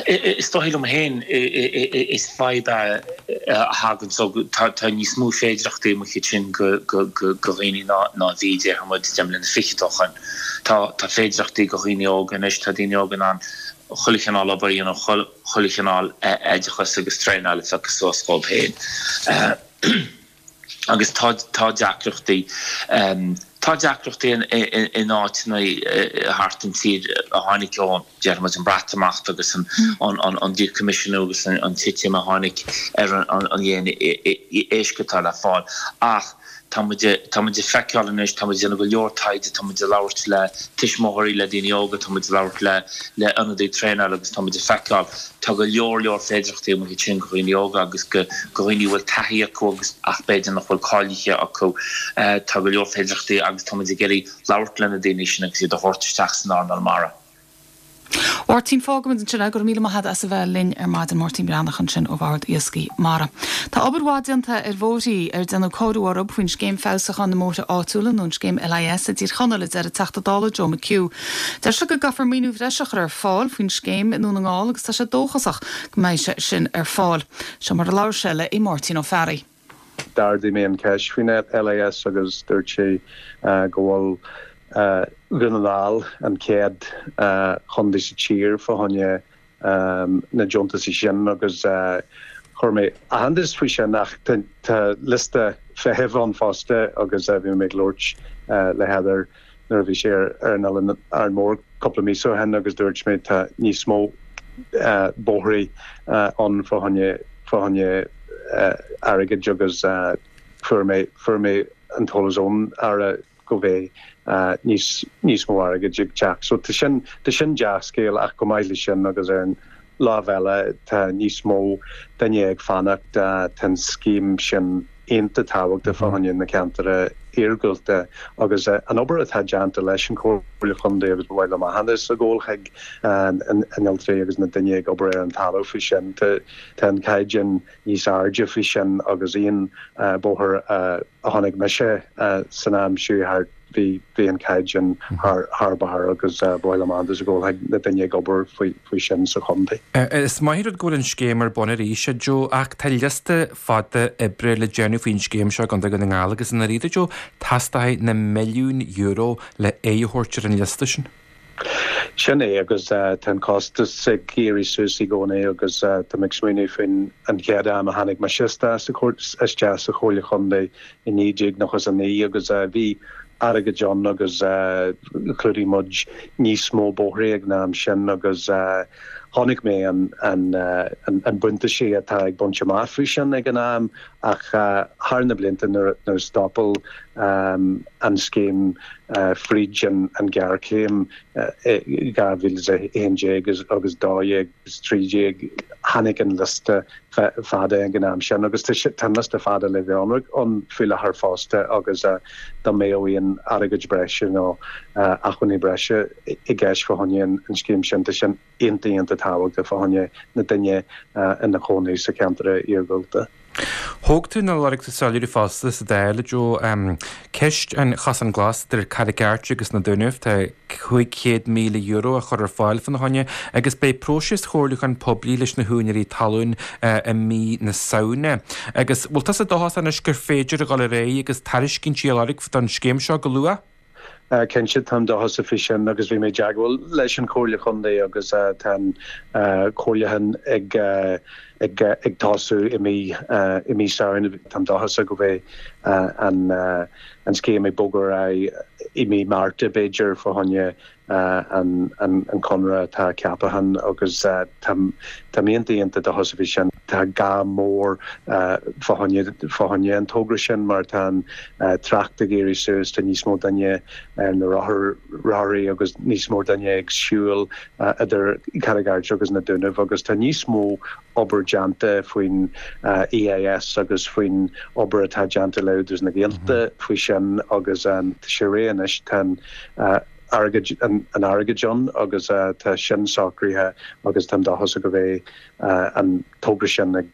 Is dóigh liom féin is fadhb é a thagann so tá níos mó féidireachtaí amuigh ansin go dhaoine ná a bhí, déarfaidh muid, deich mbliana fichead ó shoin. Tá féidireachtaí go dhaoine óga anois, tá daoine óga in ann chuile chineál obair a dhéanamh, chuile chineál oideachas agus traenáil a phiocadh suas dhóibh féin. Agus tá tá deacrachtaí, tá deacrachtaí in áiteanna thart an tír a tháinig ón, déarfaidh muid, an Breatimeacht agus an an díchoimisiúnú agus an titim a tháinig ar an líon éisc atá le fáil. Ach tá muid, tá muid ag feiceáil anois, tá muid ag déanamh go leor taighde, tá muid ag labhairt le tuismitheoirí, le daoine óga, tá muid ag labhairt le le ionadaithe traenála agus tá muid ag feiceáil, Tá go leor leor féidireachtaí amuigh ansin go dhaoine óga agus go dhaoine a bhfuil taithí acu agus ach b'fhéidir nach bhfuil cáilithe acu. Tá go leor féidireachtaí agus tá muid ag iarraidh labhairt le na daoine sin agus iad a thabhairt isteach san earnáil mara. Máirtín, Fágfaimid ansin é. Go raibh míle maith agat as a bheith linn ar maidin. Máirtín Breathnach ansin ó Bhord Iascaigh Mhara. Tá obair mhaith déanta ar bhóithrí ar déanadh cóiriú orthu faoin Scéim Feabhsúcháin na mBóithre Áitiúla nó an Scéim LIS i dTír Chonaill, a deir an Teachta Dála Joe McHugh. Deir sé go gcaithfear maoiniú bhreise a chur ar fáil faoin scéim i nDún na nGall agus tá sé dóchasach go mbeidh sé sin ar fáil. Seo mar a labhair sé le Máirtín Ó Fearraigh. D'ardaigh mé an cheist faoin LIS agus dúirt sé go bhfuil Dhún na nGall an chéad chontae sa tír fá choinne na deontaisí sin agus chuir mé aitheantas faoi sin ach tá liosta feithimh ann fosta agus bhí mé ag labhairt le Heather nuair a bhí sé ar an oileán Árainn Mhór cúpla míosa ó shin agus dúirt mé tá níos mó bóithrí ann fá choinne fá choinne airgid agus fuair mé fuair mé an t-eolas ón Aire go mbeidh níos níos mó airgid ag teacht. So tá sin tá sin dea-scéal ach chomh maith le sin agus ar an lámh eile tá níos mó duine ag fanacht tá an scéim sin iontach tábhachtach fá choinne na ceantair iargúlta agus an obair atá déanta leis an Chomhairle Chontae agus ba mhaith liom aitheantas a ghabháil chuig an innealtóirí agus na duine ag obair ar an talamh faoi sin. Tá an caighdeán níos airde faoi sin agus aon bóthar a chonaic mise san am seo thart bhí bhí an caighdeán thar thar barr agus ba mhaith liom aitheantas a ghabháil chuig na duine ag obair faoi faoi sin sa chontae. Is maith an rud go bhfuil an scéim ar bun arís, a Joe, ach tá liosta fada oibre le déanamh faoin scéim seo i gContae Dhún na nGall agus i ndáiríre, Joe, teastóidh na milliúin euro le aghaidh a thabhairt ar an liosta sin. Sin é, agus tá an costas ag éirí suas i gcónaí agus tá mé ag smaoineamh faoin an chéad am a tháinig mise isteach sa Chomhairle Chontae i 1999 agus bhí airgead ann agus chlúdaigh muid níos mó bóithrí ag an am sin agus chonaic mé an an buntáiste atá ag baint amach faoi sin ag an am ach thar na blianta nuair a stopadh an scéim fríd an ghéarchéim i 2011 agus 12 agus 13 tháinig an liosta fada ag an am sin agus tá an liosta fada le bheith ionraic ann faoi láthair fosta agus dá mbeadh aon airgead breise nó acmhainní breise i gceist fá choinne an scéim sin tá sin iontach iontach. tábhachtach fá choinne na duine ina chónaí sa cheantar iargúlta. Thóg tú nó lorg tú soiléiriú fosta sa Dáil, a Joe, ceist an Chosán Glas idir Carraig Airt agus na Dúnaibh, tá €500,000 á chur ar fáil fána choinne agus beidh próiseas chomhairliúcháin poiblí leis na húinéirí talún i mí na Samhna. Agus bhfuil tusa dóchasach anois gur féidir a dhul ar aghaidh agus tairiscintí a lorg don scéim seo go luath? Cinnte, táim dóchasach faoi sin agus bhí mé i dteagmháil leis an Chomhairle Chontae agus tá an comhairliúchán ag ag tosú i mí i mí Samhain. Táim dóchasach go mbeidh an an scéim ag bogadh ar aghaidh i mí Márta b'fhéidir fá choinne an conradh atá ceaptha ann agus táim iontach iontach dóchasach faoi sin. Tá gá mór fá choinne an togra sin mar tá an trácht ag éirí suas, tá níos mó duine ar na rothaí agus níos mó duine ag siúl idir Carraig Airt agus na Dúnaibh agus tá níos mó obair déanta faoin EIS agus faoin obair atá déanta le Údarás na Gaeltachta faoi sin agus tá sé réidh anois. Tá an airgead, an airgead ann agus tá sin socraithe agus táim dóchasach go mbeidh an togra sin ag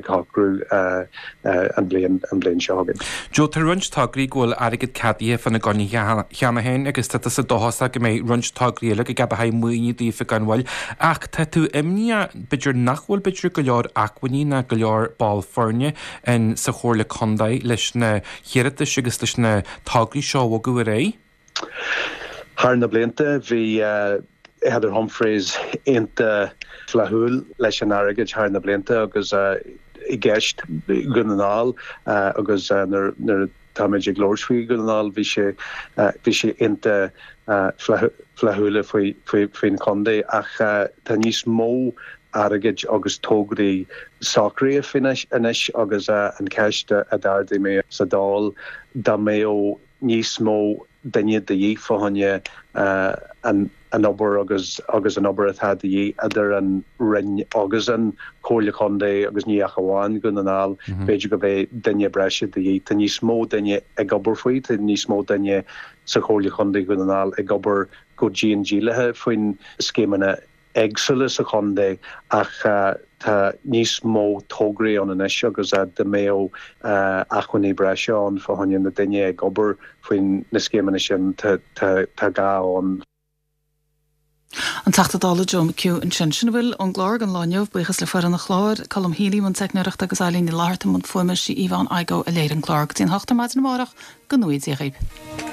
shocrú an bhliain, an bhliain seo chugainn. Joe, tá roinnt tograí go bhfuil airgead ceadaithe fána gcoinne cheana féin agus tá tusa dóchasach go mbeidh roinnt tograí eile go gceadófaí maoiniú daofa gan mhoill. Ach tá tú imníoch b'fhéidir nach bhfuil b'fhéidir go leor acmhainní ná go leor ball foirne in sa Chomhairle Contae leis na hiarratais agus leis na tograí seo a bhogadh ar aghaidh? Thar na blianta bhí Heather Humphreys iontach flaithiúil leis an airgead thar na blianta agus i gceist Dhún na nGall agus nuair atáimid ag labhairt faoi Dhún na nGall bhí sé bhí sé iontach flaithiúil faoi faoin chontae ach tá níos mó airgid agus tograí socraithe faoi anois agus an cheist a d'ardaigh mé sa Dáil dá mbeadh níos mó duine de dhíth fá choinne an obair agus agus an obair atá de dhíth idir an Roinn agus an Chomhairle Chontae agus ní ach amháin Dhún na nGall, b'fhéidir go mbeidh duine breise de dhíth. Tá níos mó duine ag obair faoi, tá níos mó duine sa Chomhairle Chontae Dhún na nGall ag obair go dian dílithe faoin scéimeanna éagsúla sa chontae ach tá níos mó tograí ann anois agus dá mbeadh acmhainní breise ann fá choinne na duine ag obair faoin na scéimeanna sin tá gá ann. An Teachta Dála Joe McHugh ansin. Sin a bhfuil ón gclár don lá inniu. Buíochas le foireann an chláir, Colm Healy i mbun teicneoireachta agus Eileen Ní Fhlatharta i mbun fuaime. Sí Yvonne Igoe a léirigh an clár. Go dtí an hocht ar maidin amárach, go ngnóthaí Dia dhaoibh.